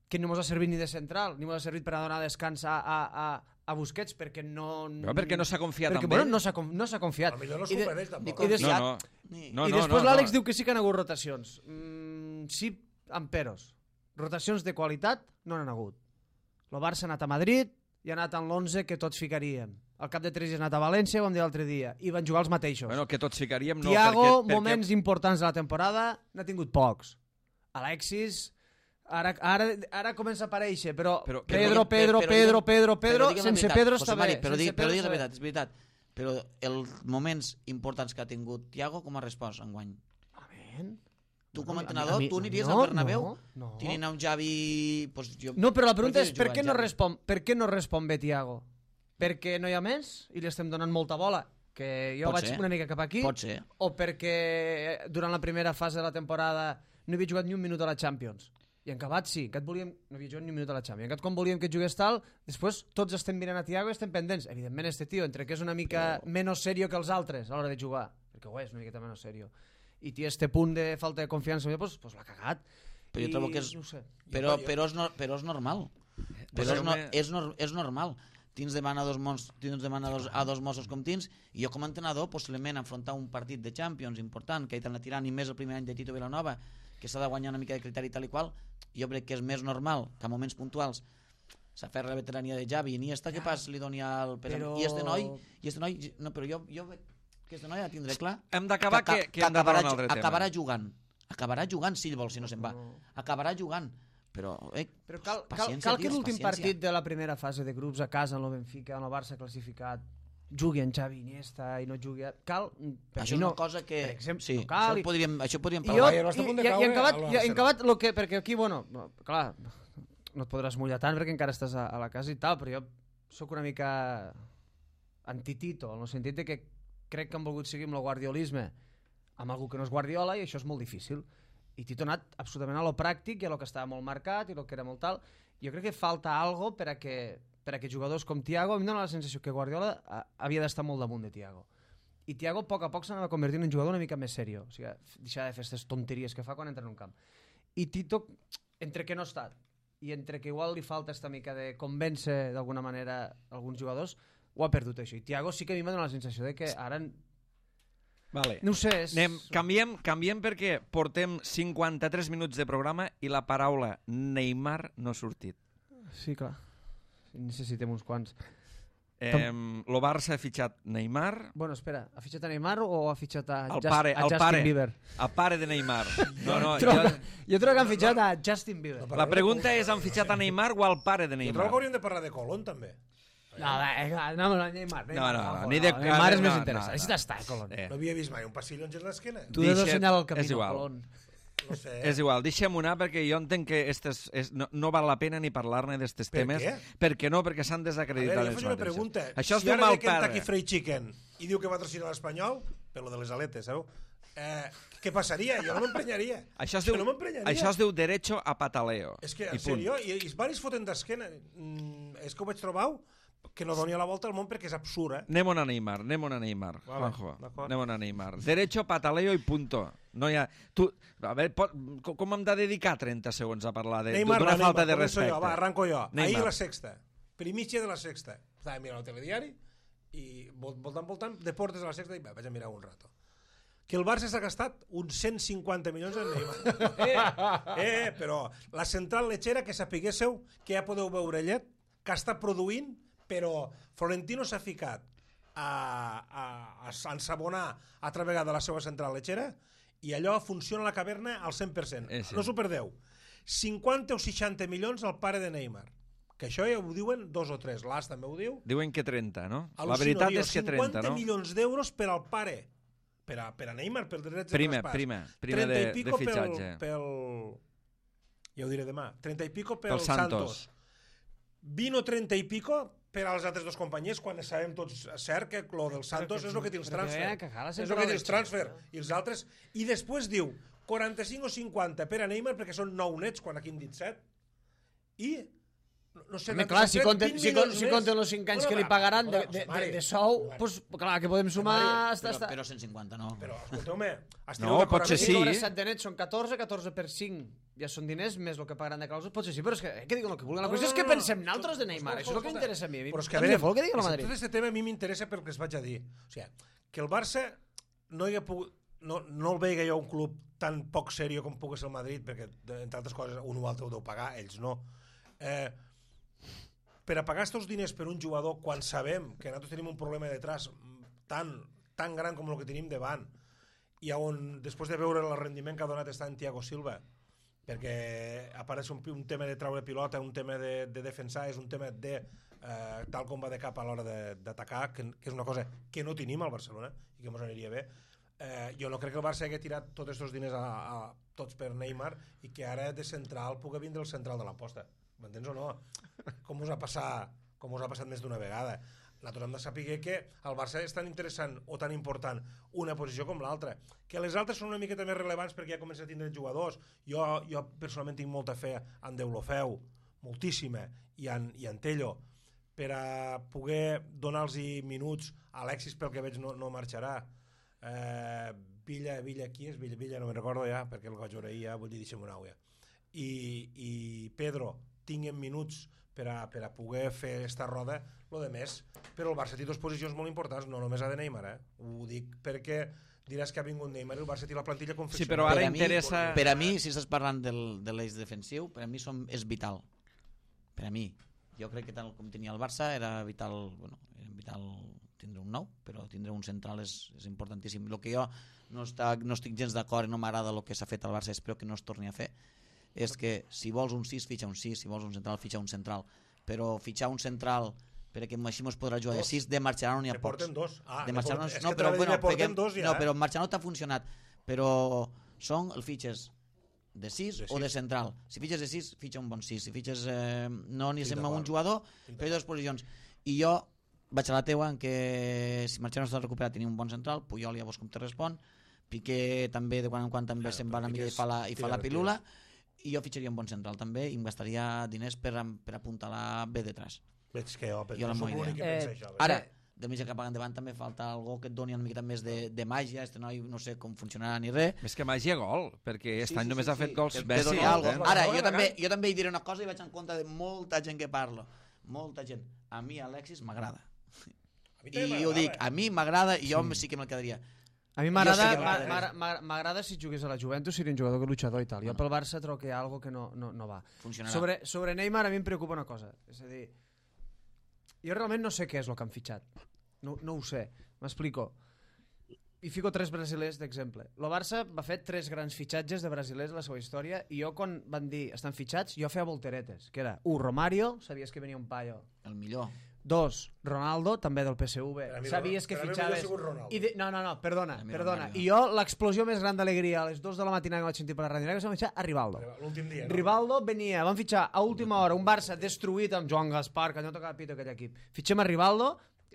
que no ens ha servit ni de central, ni ens ha servit per a donar descans a, a, a, a Busquets, perquè no... Però perquè no s'ha confiat perquè, en bueno, ell. no s'ha no s'ha confiat. A millor no és I de- culpa d'ells, tampoc. i des- No, no. Ni- No, I no, després no, l'Àlex no. diu que sí que han hagut rotacions. Mm, sí, amb peros. Rotacions de qualitat no n'han hagut. El Barça ha anat a Madrid i ha anat en l'onze que tots ficaríem. Al cap de tres dies ha anat a València, ho vam dir l'altre dia, i van jugar els mateixos. Bueno, que tots ficaríem... No, Thiago, perquè, perquè... moments importants de la temporada, n'ha tingut pocs. Alexis, ara, ara, ara comença a aparèixer, però, Però- Pedro, però- Pedro, però Pedro, digue'm- Pedro, Pedro, però digue'm la sense veritat, Pedro José està Mari, bé. Però, sense digui, però Pedro digui la està bé. veritat, és veritat. Però els moments importants que ha tingut Thiago, com ha respost enguany? Amén. Tu com A a mi- entrenador, a mi- tu aniries no, al Bernabéu? no, no. Tenint un Javi... Pues jo... No, però la pregunta és Prefiero per jugar què no Xavi. respon, per què no respon bé Thiago? Perquè no hi ha més i li estem donant molta bola, que jo Pot vaig ser. una mica cap aquí, Pot ser. o perquè durant la primera fase de la temporada no havia jugat ni un minut a la Champions. I en Cabat sí, en Cabat volíem, no havia jugat ni un minut a la Champions. En Cabat quan volíem que jugués tal, després tots estem mirant a Thiago i estem pendents. Evidentment este tio, entre que és una mica però... menys serio que els altres a l'hora de jugar, perquè ho és una miqueta menys serio, i té este punt de falta de confiança, doncs, pues l'ha cagat. Però jo I, trobo que és... No ho sé. Però, però, és, no, però és normal. Però és, no, és, no, és normal. Tins davant a dos, mons, tins davant a dos, a dos Mossos com tins, i jo com a entrenador, possiblement, enfrontar un partit de Champions important, que hi t'han de tirar ni més el primer any de Tito Vilanova, que s'ha de guanyar una mica de criteri tal i qual, jo crec que és més normal que a moments puntuals s'aferra la veterania de Javi i Iniesta, que pas li doni al... Però- I este noi, i este noi, no, però jo, jo veig que este noi ha de tindre clar Hem d'acabar que, que, que hem de acabarà, parlar un altre tema. acabarà jugant, acabarà jugant si ell vol, si no se'n va, No. acabarà jugant, però, eh, Però cal, cal, paciència, cal que tios, l'últim paciència. partit de la primera fase de grups a casa en el Benfica, en el Barça classificat, jugui en Xavi Iniesta i no jugui... A... Cal... Per això mi és no, una cosa que... per exemple, sí, no cal. això, podríem, això podríem I, jo, parlar. Bayern està a i, punt de i, i caure en acabat, a i, l'Arsenal. en acabat lo que, perquè aquí, bueno, no, clar, no et podràs mullar tant perquè encara estàs a, a la casa i tal, però jo sóc una mica antitito, en el sentit de que crec que han volgut seguir amb el guardiolisme amb algú que no és Guardiola i això és molt difícil. I Tito ha anat absolutament a lo pràctic i a lo que estava molt marcat i lo que era molt tal. Jo crec que falta algo per a que, per a que jugadors com Thiago, a mi em dóna la sensació que Guardiola a, havia d'estar molt damunt de Thiago. I Thiago a poc a poc s'anava convertint en un jugador una mica més serio, o sigui, deixar de fer aquestes tonteries que fa quan entra en un camp. I Tito, entre que no ha estat i entre que igual li falta esta mica de convèncer d'alguna manera alguns jugadors, ho ha perdut això. I Thiago sí que a mi m'ha donat la sensació de que ara... Vale. No ho sé, és... Anem, canviem, canviem perquè portem cinquanta-tres minuts de programa i la paraula Neymar no ha sortit. Sí, clar. Necessitem uns quants. Eh, lo Barça ha fitxat Neymar, Bueno, espera, ha fitxat a Neymar o ha fitxat a, el Just, pare, a el Justin pare, Bieber? el pare de Neymar. No, no, Trobo, jo, jo trobo que han fitxat a Justin Bieber. No, la pregunta és, han fitxat a Neymar o al pare de Jo trobo Neymar? que hauríem de parlar de Colón, també. No, va, no, no, Neymar. No, no, no, no, ni de- Neymar és no, més no, interessant. no. Així t'està, Colón. Eh. No havia vist mai un passillo en l'esquena. Tu has de Deixa't- assenyalar el camí, és igual. Colón. No sé. És igual, deixem anar perquè jo entenc que estes, és, no, no val la pena ni parlar-ne d'estes Per temes. què? perquè no? Perquè s'han A desacreditat veure, jo ells faig una mateixos. pregunta. Això es si diu ara mal ve Kentucky pare. Fried Chicken i diu que va patrocinar l'Espanyol, per lo de les aletes, sabeu? Eh, què passaria? Jo no m'emprenyaria. Això es, Jo diu, no m'emprenyaria. això es diu derecho a pataleo. És que, I en punt. sèrio, i, i els varis foten d'esquena. Mm, és que ho vaig trobar que no doni la volta al món perquè és absurd, eh? Anem a Neymar, anem a Neymar, Vale, Juanjo. d'acord. Anem a Neymar. Derecho, pataleo i punto. No hi ha... Tu, a veure, pot, com hem de dedicar trenta segons a parlar Neymar, d'una Neymar, falta de començo respecte? Jo, va, arranco jo. Neymar. Ahir la sexta, primícia de la sexta. Estava mirant el telediari i vol- voltant, voltant, Deportes a la sexta i va, vaig a mirar un rato. Que el Barça s'ha gastat uns cent cinquanta milions en Neymar. Eh, eh, però la central lechera, que sapiguéssiu que ja podeu veure llet, que està produint, però Florentino s'ha ficat a, a, a ensabonar altra vegada la seva central lechera i allò funciona a la caverna al cent per cent. Eh, sí. No s'ho perdeu. cinquanta o seixanta milions al pare de Neymar. Que això ja ho diuen dos o tres. L'As també ho diu. Diuen que trenta, no? Al·lucino, La veritat tio, és que trenta, cinquanta no? milions d'euros per al pare. Per a, per a Neymar, per drets de Prima, traspàs. prima, prima trenta de, i pico de fitxatge. Pel, pel... Ja ho diré demà. trenta i pico pel, Pel Santos. Santos. vint o trenta i pico per als altres dos companys, quan sabem tots cert que lo del Santos és el que té els Però que transfer. veia que cala És sempre el que té la els leche, transfer. I els altres... I després diu quaranta-cinc o cinquanta per a Neymar, perquè són nou nets, quan aquí hem dit set. I... No, no sé, Home, nosaltres clar, hem si tret compten, vint si, milions si més. compten els cinc anys Bueno, que li va, pagaran de, bueno, de, de, Mari, de sou, Mari. pues, clar, que podem sumar... Mari, Hasta, Però, hasta... però cent cinquanta no. Però, escolteu-me, esteu No, d'acord pot ser amb mi? sí. cobres set de net, són catorze, catorze per cinc. Ja són diners més el que pagaran de clàusules. Potser sí, però és que, eh, que diuen el que vulguin. La No, qüestió no, és que no, no. pensem nosaltres de Neymar. Escolta, Això és el que escolta. interessa a mi. Però és que a Tant veure, li fot el que digui el és que Madrid. tot aquest tema a mi m'interessa pel que es vaig a dir. O sigui, que el Barça no hi ha pogut... No, no el veia jo un club tan poc serio com pugui ser el Madrid, perquè, entre altres coses, un o altre ho deu pagar, ells no. Eh, per a pagar aquests diners per un jugador quan sabem que nosaltres tenim un problema detrás tan, tan gran com el que tenim davant, i on, després de veure el rendiment que ha donat està en Thiago Silva, perquè a part és un, un tema de treure pilota, un tema de, de defensar, és un tema de eh, tal com va de cap a l'hora d'atacar, que, que és una cosa que no tenim al Barcelona i que ens aniria bé. Eh, jo no crec que el Barça hagi tirat tots aquests diners a, a, tots per Neymar i que ara de central pugui vindre el central de l'aposta. M'entens o no? Com us ha passat, com us ha passat més d'una vegada. Nosaltres hem de saber que el Barça és tan interessant o tan important una posició com l'altra, que les altres són una miqueta més rellevants perquè ja comença a tindre jugadors. Jo, jo personalment tinc molta fe en Deulofeu, moltíssima, i en, i en Tello, per a poder donar-los minuts a Alexis, pel que veig no, no marxarà. Eh, Villa, Villa, qui és? Villa, Villa no me'n recordo ja, perquè el vaig veure ahir, ja, vull dir, deixem una ja. I, i Pedro tinguen minuts per a, per a poder fer esta roda, lo de més. Però el Barça té dues posicions molt importants, no només a de Neymar, eh? Ho dic perquè diràs que ha vingut Neymar i el Barça té la plantilla confeccionada. Sí, però ara Per a mi- interessa... Per a mi, si estàs parlant del, de l'eix defensiu, per a mi som, és vital. Per a mi. Jo crec que tal com tenia el Barça era vital, bueno, era vital tindre un nou, però tindre un central és, és importantíssim. El que jo no, està, no estic gens d'acord i no m'agrada el que s'ha fet al Barça, espero que no es torni a fer, és que si vols un sis, fitxa un sis, si vols un central, fitxa un central. Però fitxar un central perquè així mos podrà jugar de sis, de Marcherano n'hi ha Ne pocs. porten dos. Ah, de ne Marcherano, porten- és no, que però, t'anava a dir, bueno, ne porten perquè, dos ja, no, eh? però Marcherano t'ha funcionat, però són el fitxes de sis De o de sis. central. Si fitxes de sis, fitxa un bon sis. Si fitxes eh, no n'hi Estic sembla un d'acord. jugador, Estic però hi ha dues posicions. I jo vaig a la teua en què si Marcherano està recuperat tenim un bon central, Puyol ja vos com te respon, Piqué també de quan en quan també Claro, se'n però va una mica Piqué i fa la, i fa la tira- pilula, i jo fitxaria un bon central també i em gastaria diners per, per apuntalar bé detrás. Veig que jo, Jo la no soc meva l'únic que idea. pensa Eh, això. Ara, de mitja cap endavant també falta algú que et doni una miqueta més de, de màgia, este noi no sé com funcionarà ni res. Més que màgia, gol, perquè aquest any només ha fet gols que, que Messi. doni no? algo. Eh? Ara, No, jo no, també, no. jo també hi diré una cosa i vaig en compte de molta gent que parlo. Molta gent. A mi Alexis m'agrada. A mi també I ho dic, m'agrada. a mi m'agrada i jo sí que me'l quedaria. A mi Jo m'agrada sé que m'a- m'agrada. m'a- m'agrada si jugués a la Juventus seria un jugador que luchador i tal. Jo pel Barça trobo que hi ha algo que no, no, no va. Funcionarà. Sobre, sobre Neymar a mi em preocupa una cosa. És a dir, jo realment no sé què és el que han fitxat. No, no ho sé. M'explico. I fico tres brasilers d'exemple. El Barça va fer tres grans fitxatges de brasilers en la seva història i jo quan van dir estan fitxats, jo feia volteretes, que era un Romario, sabies que venia un paio. El millor. Dos, Ronaldo, també del P S V. Per a mi Sabies Ronaldo- que per a mi fitxaves... millor ha sigut Ronaldo. I de... No, no, no, perdona, Per a mi perdona. Romario. I jo, l'explosió més gran d'alegria a les dues de la matinada que vaig sentir per la ràdio negra, vam fitxar a Rivaldo. L'últim dia, no? Rivaldo venia, van fitxar a última hora un Barça destruït amb Joan Gaspar, que no tocava pito aquell equip. Fitxem a Rivaldo,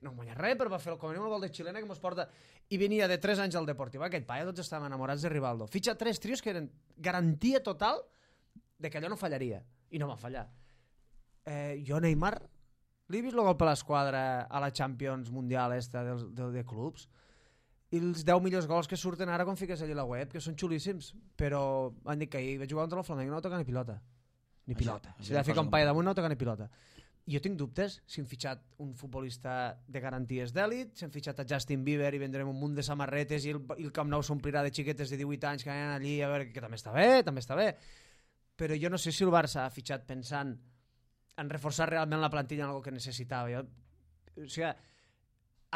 no guanya res, però va fer el, com a mínim el gol de xilena que mos porta... I venia de tres anys al Deportiu. Aquell paia, tots estàvem enamorats de Rivaldo. Fitxa tres trios que eren garantia total de que allò no fallaria. I no va fallar. Eh, jo, Neymar, Li he vist el gol per l'esquadra a la Champions Mundial esta de, de, de clubs i els deu millors gols que surten ara quan fiques allà a la web, que són xulíssims, però han dit que ahir vaig jugar contra el Flamengo i no va tocar ni pilota. Ni pilota. Això, si va ficar un paio damunt no va tocar ni pilota. I jo tinc dubtes si hem fitxat un futbolista de garanties d'èlit, si hem fitxat a Justin Bieber i vendrem un munt de samarretes i el, i el Camp Nou s'omplirà de xiquetes de divuit anys que aniran allí a veure, que també està bé, també està bé. Però jo no sé si el Barça ha fitxat pensant en reforçar realment la plantilla en algo que necessitava. Jo, o sigui,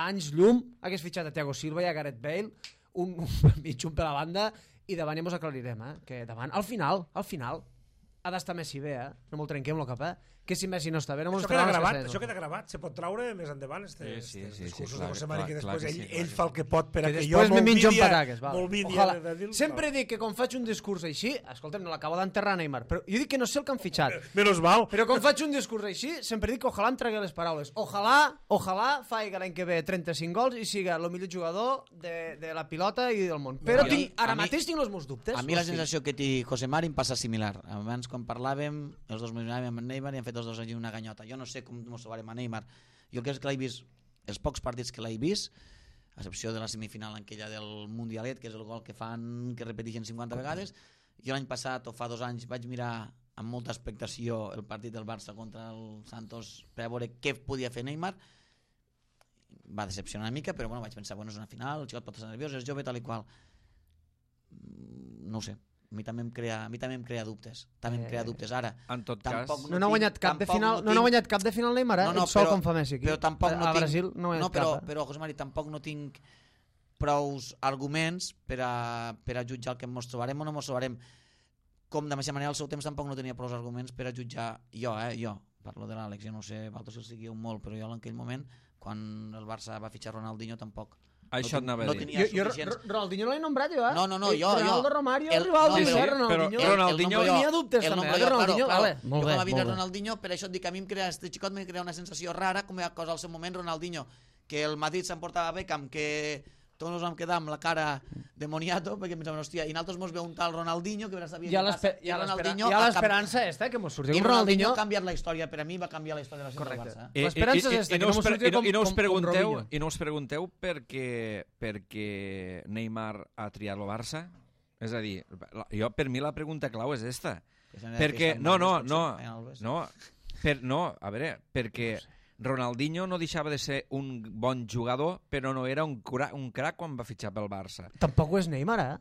anys llum hagués fitxat a Thiago Silva i a Gareth Bale, un, un mig un per la banda, i davant ja mos aclarirem, eh? Que davant, al final, al final, ha d'estar Messi bé, eh? No me'l trenquem, el cap, eh? Que si Messi no està bé, no mos això queda gravat, això queda gravat, se pot traure més endavant este, sí, sí, este, sí, discursos sí, clar, de José Mari, que clar, després clar que ell, sí, clar ell que fa el que pot per a que, que jo me menjo m'olvidi pataques, val. de dir-lo. Sempre dic que quan faig un discurs així, escolta'm, no l'acabo d'enterrar Neymar, però jo dic que no sé el que han fitxat. Menos mal. Però quan faig un discurs així, sempre dic que ojalà em tregui les paraules. Ojalà, ojalà faiga l'any que ve trenta-cinc gols i siga el millor jugador de, de la pilota i del món. Però mi- tinc, ara a mi- mateix tinc els meus dubtes. A mi la O sigui, sensació que té José Mari em passa similar. Abans, quan parlàvem, els dos miràvem amb Neymar i han fet els dos allí una ganyota. Jo no sé com ens trobarem a Neymar. Jo crec que l'he vist, els pocs partits que l'he vist, a excepció de la semifinal aquella del Mundialet, que és el gol que fan, que repeteixen cinquanta vegades. Jo l'any passat, o fa dos anys, vaig mirar amb molta expectació el partit del Barça contra el Santos per a veure què podia fer Neymar. Va decepcionar una mica, però bueno, vaig pensar, bueno, és una final, el xicot pot estar nerviós, és jove, tal i qual. No ho sé, a mi també em crea, a mi també em crea dubtes. També em crea dubtes. Ara, En tot tampoc cas... no n'ha tinc- guanyat cap de tampoc final, no no n'ha tinc- guanyat cap de final Neymar, eh? No, no, Ell sol però- com fa Messi aquí. però tampoc no a, a tinc- Brasil no guanyat no, però, cap. Eh? però, José Mari, tampoc no tinc prous arguments per a, per a jutjar el que ens trobarem o no ens trobarem. Com de mateixa manera al seu temps tampoc no tenia prous arguments per a jutjar jo, eh, jo, parlo de l'Àlex, jo no sé, vosaltres el seguíeu molt, però jo en aquell moment, quan el Barça va fitxar Ronaldinho, tampoc. Això no, anava a no dir. tenia Jo, jo suficients... R- Ronaldinho no l'he nombrat jo, eh? No, no, no, Eh, jo, jo. Ronaldo, Romario, El- Rivaldo, no, i però- Ronaldinho. però Ronaldinho- Jo tenia dubtes el també, nombro eh, de jo, Ronaldinho. claro, Vale, claro. molt Jo bé, com a vida molt bé. Ronaldinho, per això et dic que a mi em crea, este xicot me crea una sensació rara, com a cosa al seu moment, Ronaldinho, que el Madrid s'emportava Beckham, que tots ens vam quedar amb la cara de moniato, perquè pensàvem, hòstia, i nosaltres mos veu un tal Ronaldinho, que ara sabia Hi ha què passa, l'espe- hi i ha l'espera- Ronaldinho hi ha ha canvi- l'esperança esta, que mos surti i un Ronaldinho Ronaldinho... ha canviat la història, per a mi va canviar la història del Correcte. Barça. I- L'esperança i- és esta, i que no no us mos pre- surti i no- com- i no us com- com pregunteu, Robinho. i no us pregunteu per què, per què Neymar ha triat el Barça? És a dir, la- jo, per mi la pregunta clau és esta. Perquè, no, no, no, no, per, no, a veure, perquè Ronaldinho no deixava de ser un bon jugador, però no era un, cra un crac quan va fitxar pel Barça. Tampoc ho és Neymar, eh?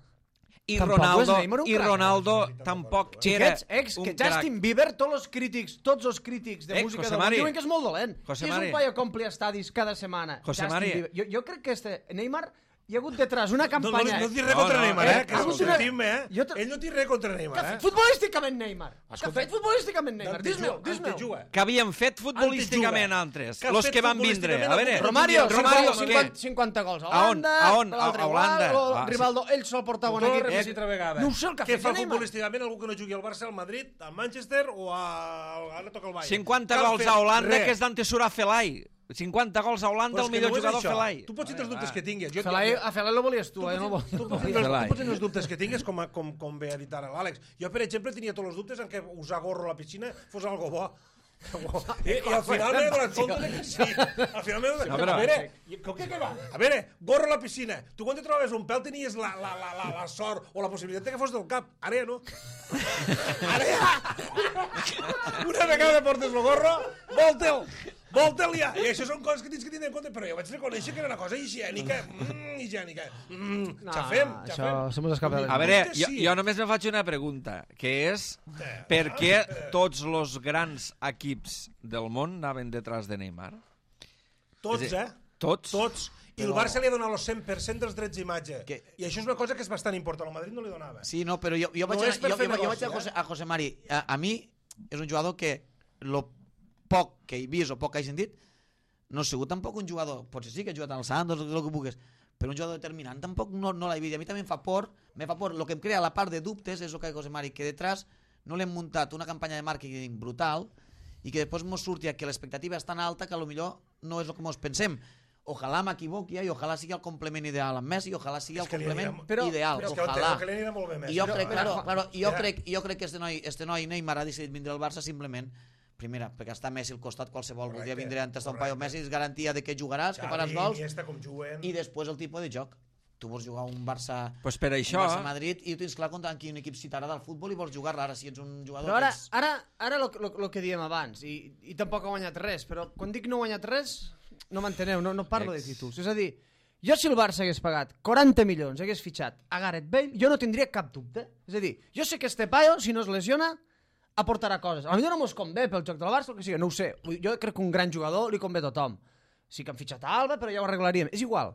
I Tampoc Ronaldo, és Neymar un i crac. Ronaldo tampoc era Xiquets, ex, un que crac. Justin Bieber, tots els crítics, tots els crítics de Eh, música José del món Mari. diuen que és molt dolent. José que és Mari. un paio que ompli estadis cada setmana. José Justin Mari. Bieber. Jo, jo crec que este Neymar hi ha hagut detrás una No, no, campanya... no dic res No, contra no, Neymar, eh, eh? Que ha ho hagut una- sentim, eh? Jo te- Ell no dic res contra Què Neymar, ha fet eh? futbolísticament Neymar? Què ha Escolta, fet futbolísticament Neymar? Dante Dis-me'l, juga, dis-me'l. Dante juga. Que havien fet futbolísticament Antes altres, Que ha los fet que van vindre. futbolísticament A veure, altres. Romario, Romario, cinquanta, què? cinquanta gols a A on? Holanda, A on? l'altre A Holanda. igual, Ah, sí. Rivaldo, ell sol portar bon Ho torno a equip. repetir altra vegada. No ho sé el que ha Què fet fa Neymar. futbolísticament algú que no jugui al Barça, al Madrid, al Manchester o a... ara toca el Bayern? cinquanta Cal gols fer a Holanda, res. que és d'antessurar Felai. cinquanta gols a Holanda, Però el és que millor no és jugador això. Felai. Tu pots tenir els dubtes que tinguis. Jo, Felai, jo- a Felai lo volies tu, Tu eh? No pots, lo tu, volia. pots tenir, Felai. tu pots tenir els dubtes que tinguis, com, a, com, com bé ha dit ara l'Àlex. Jo, per exemple, tenia tots els dubtes en què usar gorro a la piscina fos algo bo. I, i al final m'he donat compte de que sí. Al final m'he donat No, compte. però- A veure, i- com que què va? A veure, gorro a la piscina. Tu quan te trobaves un pèl tenies la, la, la, la, la sort o la possibilitat de que fos del cap. Ara ja no. Ara ja. Una vegada portes el gorro, volte'l. Volte'l ja. I això són coses que tens que tindre en compte. Però jo vaig reconèixer que era una cosa higiènica. Mm, higiènica. Mm, No, xafem, això xafem. se mos escapa de les A veure, Dubtes jo, sí. jo només me faig una pregunta, que és per què tots els grans equips del món anaven detrás de Neymar? Tots, És a eh? dir, Tots? Tots. I el Però- Barça li ha donat el cent per cent dels drets d'imatge. Que- I això és una cosa que és bastant important. El Madrid no li donava. Sí, no, però jo, jo vaig, No anar, és per jo, fer jo, jo negoci, vaig a, José, eh? a José Mari. A, a mi és un jugador que lo poc que he vist o poc que he sentit no ha sigut tampoc un jugador, potser sí que ha jugat al Santos, el que pugues, però un jugador determinant tampoc no, no l'he vist. A mi també em fa por, me fa por. El que em crea la part de dubtes és el que ha dit José Mari, que detrás no l'hem muntat una campanya de màrqueting brutal i que després mos surti que l'expectativa és tan alta que potser no és el que mos pensem. Ojalà m'equivoqui i ojalà sigui el complement ideal amb Messi, ojalà sigui És el que li complement anirà- però- ideal, Però és que ojalà. que li anirà molt bé més. I jo Però- crec, mira, claro, Juan, claro, jo mira, crec, jo crec que este noi, este noi Neymar ha decidit vindre al Barça simplement primera, perquè està Messi al costat, qualsevol Correcte, voldria vindre a tastar un correcte. paio Messi, és garantia de que jugaràs, que Xavi, faràs gols, Iniesta, com juguen... i després el tipus de joc. Tu vols jugar un Barça, Pues per això... un Barça Madrid i ho tens clar contra quin equip si t'agrada el futbol i vols jugar-la. Ara, si ets un jugador... Però ara, que ets... ara, ara lo, lo, lo que diem abans, i, i tampoc ha guanyat res, però quan dic no ha guanyat res, no m'enteneu, no, no parlo Ex. de títols. És a dir, jo si el Barça hagués pagat quaranta milions, hagués fitxat a Gareth Bale, jo no tindria cap dubte. És a dir, jo sé que este paio, si no es lesiona, aportarà coses. A mi no mos convé pel joc del Barça, el que sigui, no ho sé. Jo crec que un gran jugador li convé a tothom. Sí que han fitxat a Alba, però ja ho arreglaríem. És igual.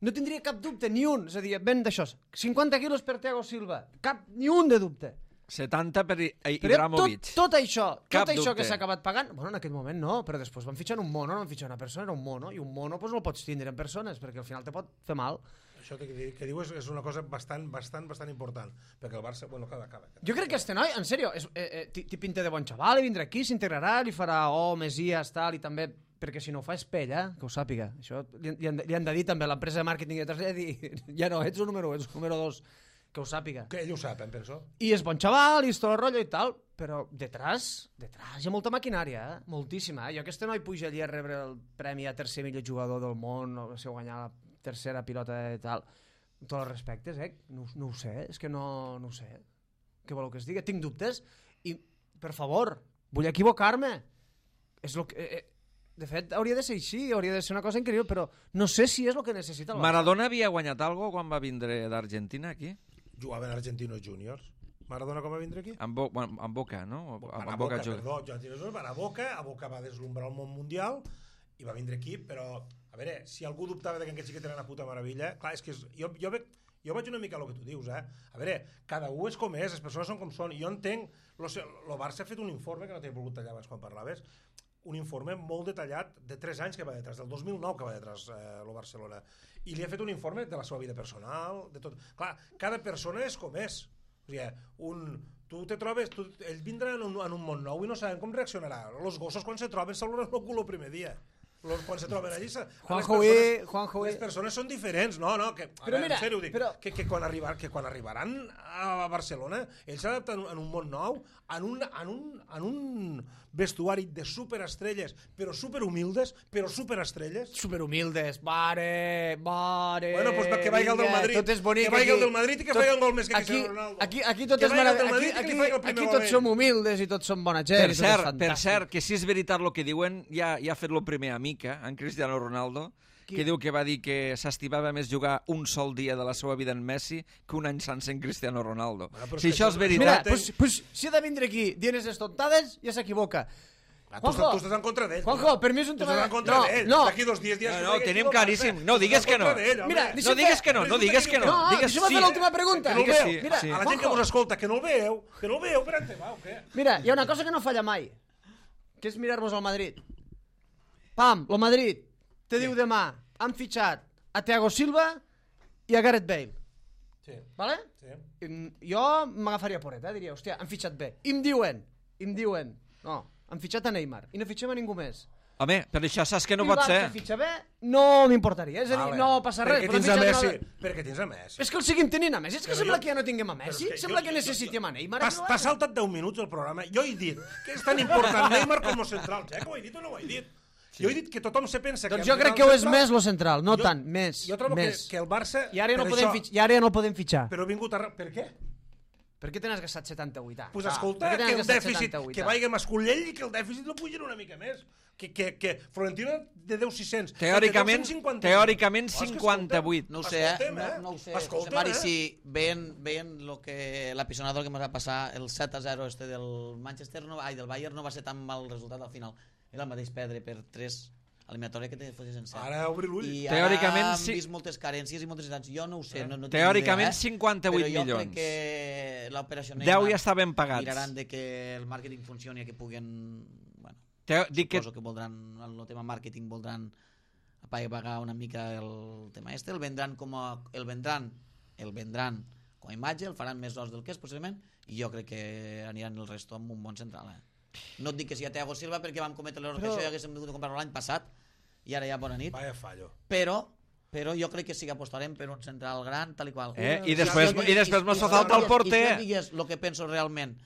No tindria cap dubte, ni un. És a dir, ben d'això. cinquanta quilos per Thiago Silva. Cap, ni un de dubte. setanta per I- Però Ibrahimovic. tot, tot això, Cap tot això dubte. que s'ha acabat pagant, bueno, en aquell moment no, però després van fitxar un mono, no van fitxar una persona, era un mono, i un mono pues, no el pots tindre en persones, perquè al final te pot fer mal. Això que, que diu és, és una cosa bastant, bastant, bastant important, perquè el Barça... Bueno, acaba, acaba. Jo crec que este noi, en sèrio, és, eh, eh, t'hi t'hi pinta de bon xaval, i vindrà aquí, s'integrarà, li farà oh, Messias, tal, i també, perquè si no ho fa és pell, eh? Que ho sàpiga. Això li, li, han, li han de dir també, l'empresa de màrqueting i detrás li ha de dir, ja no, ets el número un, ets el número dos, que ho sàpiga. Que ell ho sap, em penso. I és bon xaval, i és tot el rotllo i tal, però detrás, detrás hi ha molta maquinària, eh? Moltíssima. Eh? Jo aquest noi puja allí a rebre el premi a tercer millor jugador del món, o si guanyar la tercera pilota i tal, amb tots els respectes, eh? No, no ho sé, és que no, no ho sé. Què voleu que es digui? Tinc dubtes i, per favor, vull equivocar-me. És lo que... Eh, de fet, hauria de ser així, hauria de ser una cosa increïble, però no sé si és el que necessita el Barça. Maradona havia guanyat algo quan va vindre d'Argentina aquí? Jugava en Argentinos Juniors. Maradona com va vindre aquí? Amb, bo, bueno, amb Boca, no? Van Amb a Boca Boca, juga. perdó, Argentinos Juniors van a Boca, a Boca va deslumbrar el món mundial i va vindre aquí, però, a veure, si algú dubtava de que aquest xiquet era una puta meravella, clar, és que és, jo, jo, veig, jo vaig una mica a lo que tu dius, eh? A veure, cada un és com és, les persones són com són, jo entenc, el Barça ha fet un informe, que no t'he volgut tallar abans quan parlaves, un informe molt detallat de tres anys que va detrás, del dos mil nou que va detrás eh, el Barcelona, i li ha fet un informe de la seva vida personal, de tot. Clar, cada persona és com és. O sigui, un, tu te trobes, tu, ells vindran en un, en un món nou i no saben com reaccionarà. Els gossos quan se troben saluden el cul el primer dia. Los, quan se troben allí... Juanjo, les persones, Juanjo, les persones són diferents, no, no, que, a Però veure, mira, en sèrio, dic, però- que, que, quan arribar, que quan arribaran a Barcelona, ells s'adapten en un món nou, en un, en un, en un vestuari de superestrelles, però superhumildes, però superestrelles. Superhumildes, mare, mare... Bueno, pues que vagi el del vinga, Madrid, tot és bonic que vagi el aquí. del Madrid i que Tot- faci un gol més que aquí, Cristiano Ronaldo. Aquí, aquí tot Que és vagi el mare... del Aquí, Madrid i que aquí, li faci el primer aquí gol tots ell. som humildes i tots som bona gent. Per i tot és cert, per fantàstic. cert, que si és veritat el que diuen, ja, ja ha fet el primer amic, eh, en Cristiano Ronaldo, Qui? que diu que va dir que s'estimava més jugar un sol dia de la seva vida en Messi que un any sense en Cristiano Ronaldo. Bueno, però si és que això és això- Mira, veritat... pues, pues, si ha de vindre aquí dient les estontades, ja s'equivoca. Ah, tu, estàs, tu estàs en contra d'ell. Juanjo, per mi és un Tu tema... estàs en contra no, d'ell. no. D'aquí dos dies... dies No, que no, vagi tenim aquí al claríssim. Barça. No, digues Tu estàs que no. en contra d'ell, home. Mira, No deixa'm digues fer- que no, no Resulta digues que que diu- no. No, Digues deixa'm sí. fer l'última pregunta. Que no el Digues veu. sí. Mira, sí. A la gent que Juanjo, us escolta, que no el veu, que no el veu, per on te va, o què? mira, hi ha una cosa que no falla mai, que és mirar-vos al Madrid. Pam, el Madrid te diu demà, han fitxat a Thiago Silva i a Gareth Bale. Sí, Vale? sí. I jo m'agafaria poreta, diria, hòstia, han fitxat bé. I em diuen, i em diuen, no, han fitxat a Neymar i no fitxem a ningú més. Home, per això saps que no I el pot ser. Barça fitxa bé, no m'importaria. És a dir, Vale. no passa res. Perquè però tens a han fitxat Messi. una- Perquè tens a Messi. És que el seguim tenint a Messi. És que Però sembla jo- que ja no tinguem a Però Messi. és que Sembla jo- que jo- necessitem a Neymar. T'has t'has saltat deu minuts del programa. Jo he dit que és tan important Neymar com els centrals. Eh? Que ho he dit o no ho he dit? Jo he dit que tothom se pensa que... Doncs jo crec que ho és més lo central, no tant, més. Jo trobo que, més. que el Barça... I ara ja no per podem això- fitxar. I ara ja no el podem fitxar. Però ha vingut a... Per què? Per què te n'has gastat setanta-vuit anys? Pues Ah, escolta, per què te que n'has el gastat dèficit, setanta-vuit que anys? vagi Mascolell i que el dèficit lo pugin una mica més. Que, que, que Florentino de deu sis-cents. Teòricament, de cent cinquanta. teòricament Oh, és que cinquanta-vuit. No ho sé, eh? Escolta'm, no, eh? no ho sé, Escolta'm, José Mari, eh? si veient, veient lo que l'apisonador que ens va passar, el set a zero este del Manchester, no, ai, del Bayern no va ser tan mal resultat al final. Era el mateix perdre per tres eliminatòria que te fossis en set. Ara obri l'ull. I Teòricament, ara hem sí. vist moltes carències i moltes necessitats. Jo no ho sé. Eh? No, no tinc Teòricament, idea, eh? cinquanta-vuit Però jo milions. crec que l'operació deu ja estaven pagats. miraran de que el màrqueting funcioni i que puguen... Bueno, Te, dic que suposo que voldran, en el tema màrqueting voldran pagar una mica el tema este, el vendran com a, el vendran el vendran com a imatge, el faran més os del que és possiblement, i jo crec que aniran el resto amb un bon central, eh? No et dic que sigui a Thiago Silva perquè vam cometre l'error Però- que això ja haguéssim hagut de comprar-lo l'any passat i ara ja bona nit, Vaya fallo. però però jo crec que sí que apostarem per un central gran tal i qual. Eh, i Si després- jo- i després mos si fa jo falta el digués- porter. I si jo digués el que penso realment,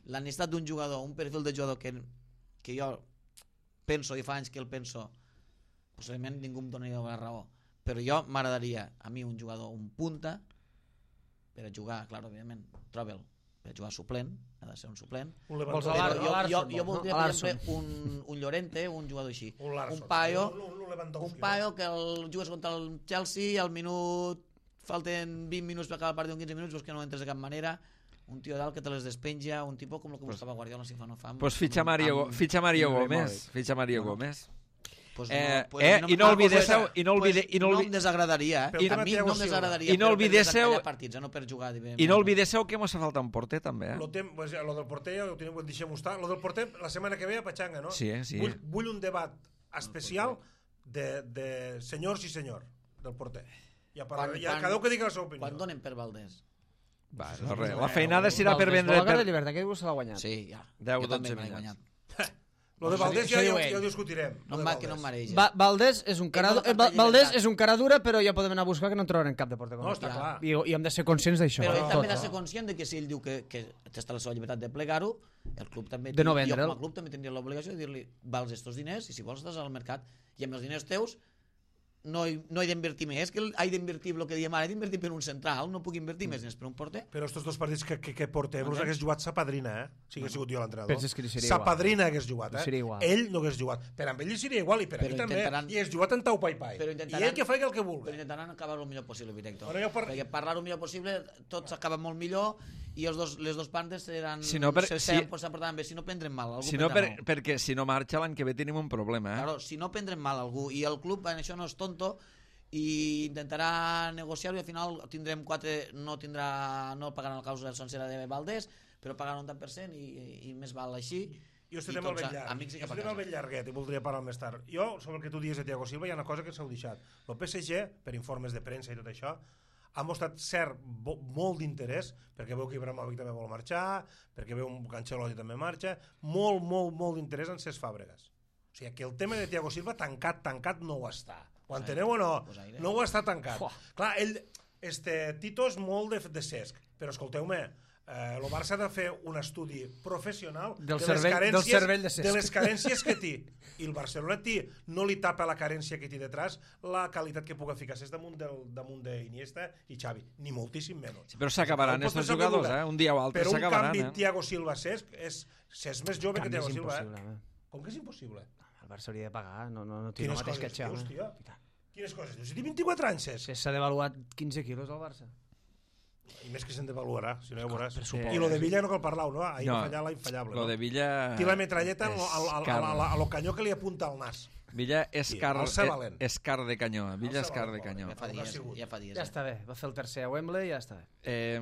la necessitat d'un jugador, un perfil de jugador que que jo penso, i fa anys que el penso, possiblement ningú em donaria la raó, però jo m'agradaria a mi un jugador, un punta, per a jugar, clar, evidentment, troba'l, per a jugar suplent, ha de ser un suplent. Un Vols Lewandowski. a Però jo, jo, Larsson, jo voldria, no? per Larsson. exemple, un, un Llorente, un jugador així. Un Larsson. Un paio, Un, un, un Lewandowski, un paio que el jugues contra el Chelsea i al minut, falten vint minuts per acabar el partit, un quinze minuts, veus que no entres de cap manera, un tio dalt que te les despenja, un tipus com el que buscava Guardiola si fa no fa. Pues fitxa Mario, amb- fitxa Mario amb Gómez. Ibrahimovic. Fitxa Mario Bueno. Gómez. Pues Eh, pues eh, a mi i no ah, oblidéssiu- pues, i no oblide- pues i no no olvi- em desagradaria, eh? Però el A tema mi Thiago no em Silva. desagradaria. I no però per oblidéssiu- desencallar partits, eh, no per jugar. I no oblidéssiu que mos fa falta un porter, també, eh? Lo, tem, pues, lo del porter ja ho tenim, ho deixem estar. Lo del porter, la setmana que ve a Pachanga, no? Sí, eh, sí. Vull, vull un debat especial de, de senyors i senyor del porter. Ja, per, Quan- ja quan- cada un que digui la seva opinió. Quan donen per Valdés? Va, no, res. La feinada serà per vendre... La Per... de llibertat, que diu se l'ha guanyat. Sí, ja. deu, Jo també dotze me l'he minuts. guanyat. Lo de Valdés Això ja, diu ja, ell. ja ho discutirem. No lo em de va, que no em Valdés. mareja. Va, Valdés és un cara, Ell no eh, fa Va- Valdés llibertat. és un cara dura, però ja podem anar a buscar que no en trobarem cap de porter com No, aquest. està clar. I, I hem de ser conscients d'això. Però ell Tot. també ha de ser conscient de que si ell diu que, que està la seva llibertat de plegar-ho, el club també... De no jo vendre'l. com a club també tindria l'obligació de dir-li vals estos diners i si vols estàs al mercat i amb els diners teus no he, no he d'invertir més, que he d'invertir el que diem ara, he d'invertir per un central, no puc invertir més diners per un porter. Però estos dos partits que, que, que portem, els Entens? hagués jugat sa padrina, eh? Si hagués sigut jo l'entrenador. Penses que li seria sa igual? padrina hagués jugat, eh? Li seria igual. Ell no hagués jugat. Per amb ell li seria igual i per a Però mi també. intentaran- I hagués jugat en tau pai pai. Però I intentaran- ell que faci el que Però vulgui. intentaran acabar el millor possible, director. Bueno, jo per- Perquè parlar el millor possible, tot s'acaba molt millor i els dos, les dos bandes seran, Si no, per- se, si- se, se portaran bé. Si no prendrem mal, algú Si no, prendrà per, mal. perquè si no marxa l'any que ve tenim un problema, eh? Claro, si no prendrem mal algú i el club en això no és tonto i intentarà negociar-ho i al final tindrem quatre, no tindrà no pagaran la causa sencera de Valdés però pagaran un tant per cent i, i més val així. Jo I estem al tots ben a- llarg. amics i Jo cap a estem al casa. ben llarguet i voldria parlar més tard. Jo, sobre el que tu dius de Thiago Silva, hi ha una cosa que s'heu deixat. El P S G, per informes de premsa i tot això, ha mostrat cert bo, molt d'interès, perquè veu que Ibrahimovic també vol marxar, perquè veu que Ancelotti també marxa, molt, molt, molt d'interès en Cesc Fàbregas. O sigui, que el tema de Thiago Silva tancat, tancat no ho està. Ho enteneu o no? Pues aire. No ho està tancat. Clar, ell, este, Tito és molt de, de Cesc, però escolteu-me, eh, el Barça ha de fer un estudi professional Del de, cervell- les carències, del cervell de Cesc. de les carències que té. I el Barcelona té, no li tapa la carència que té detrás la qualitat que puga ficar Cesc damunt, del, damunt d'Iniesta i Xavi, ni moltíssim menys. Sí, però s'acabaran Pot estos passar el que jugadors, vulga. eh? Un dia o altre Però un s'acabaran, canvi eh? Thiago Silva-Cesc és Cesc més jove que Canvi és Thiago Silva. impossible, Eh? eh? Com que és impossible? El Barça hauria de pagar, no, no, no té el Quines mateix que coses Xavi. dius, tio? Quines coses dius? Si té vint-i-quatre anys, Cesc. Si s'ha devaluat quinze quilos al Barça. I més que se'n devaluarà, si no ja veuràs. pressupost. I lo de Villa no cal parlar-ho, no? Ahir No, va fallar la infallable. Lo no? de Villa... Té la metralleta al, és al, al, car. al, al, al canyó que li apunta al nas. Villa és Sí, car, el ser valent. és car de canyó. Villa El és ser car valent, de canyó. Ja fa El que ha dies, sigut. ja fa dies. Ja eh? està bé, va fer el tercer a Wembley i ja està bé. Eh,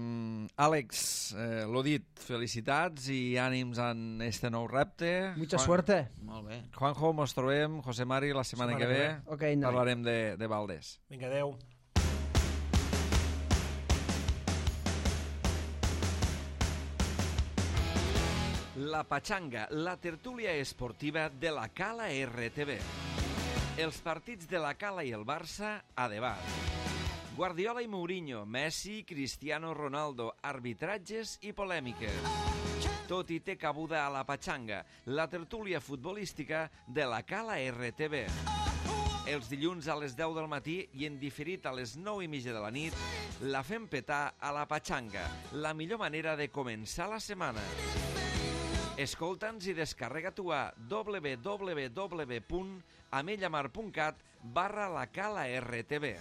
Àlex, eh, l'ho dit, felicitats i ànims en este nou repte. Mucha Juan- suerte. Molt bé. Juanjo, mos trobem, José Mari, la setmana, Setmana que que ve. ve. Ok, noi. Parlarem de, de Valdés. Vinga, adeu. La Pachanga, la tertúlia esportiva de la Cala R T V. Els partits de la Cala i el Barça a debat. Guardiola i Mourinho, Messi, Cristiano Ronaldo, arbitratges i polèmiques. Tot i té cabuda a la Pachanga, la tertúlia futbolística de la Cala R T V. Els dilluns a les deu del matí i en diferit a les nou i mitja de la nit, la fem petar a la Pachanga, la millor manera de començar la setmana. Escolta'ns i descarrega tu a w w w punt amellamar punt cat barra la Cala R T V.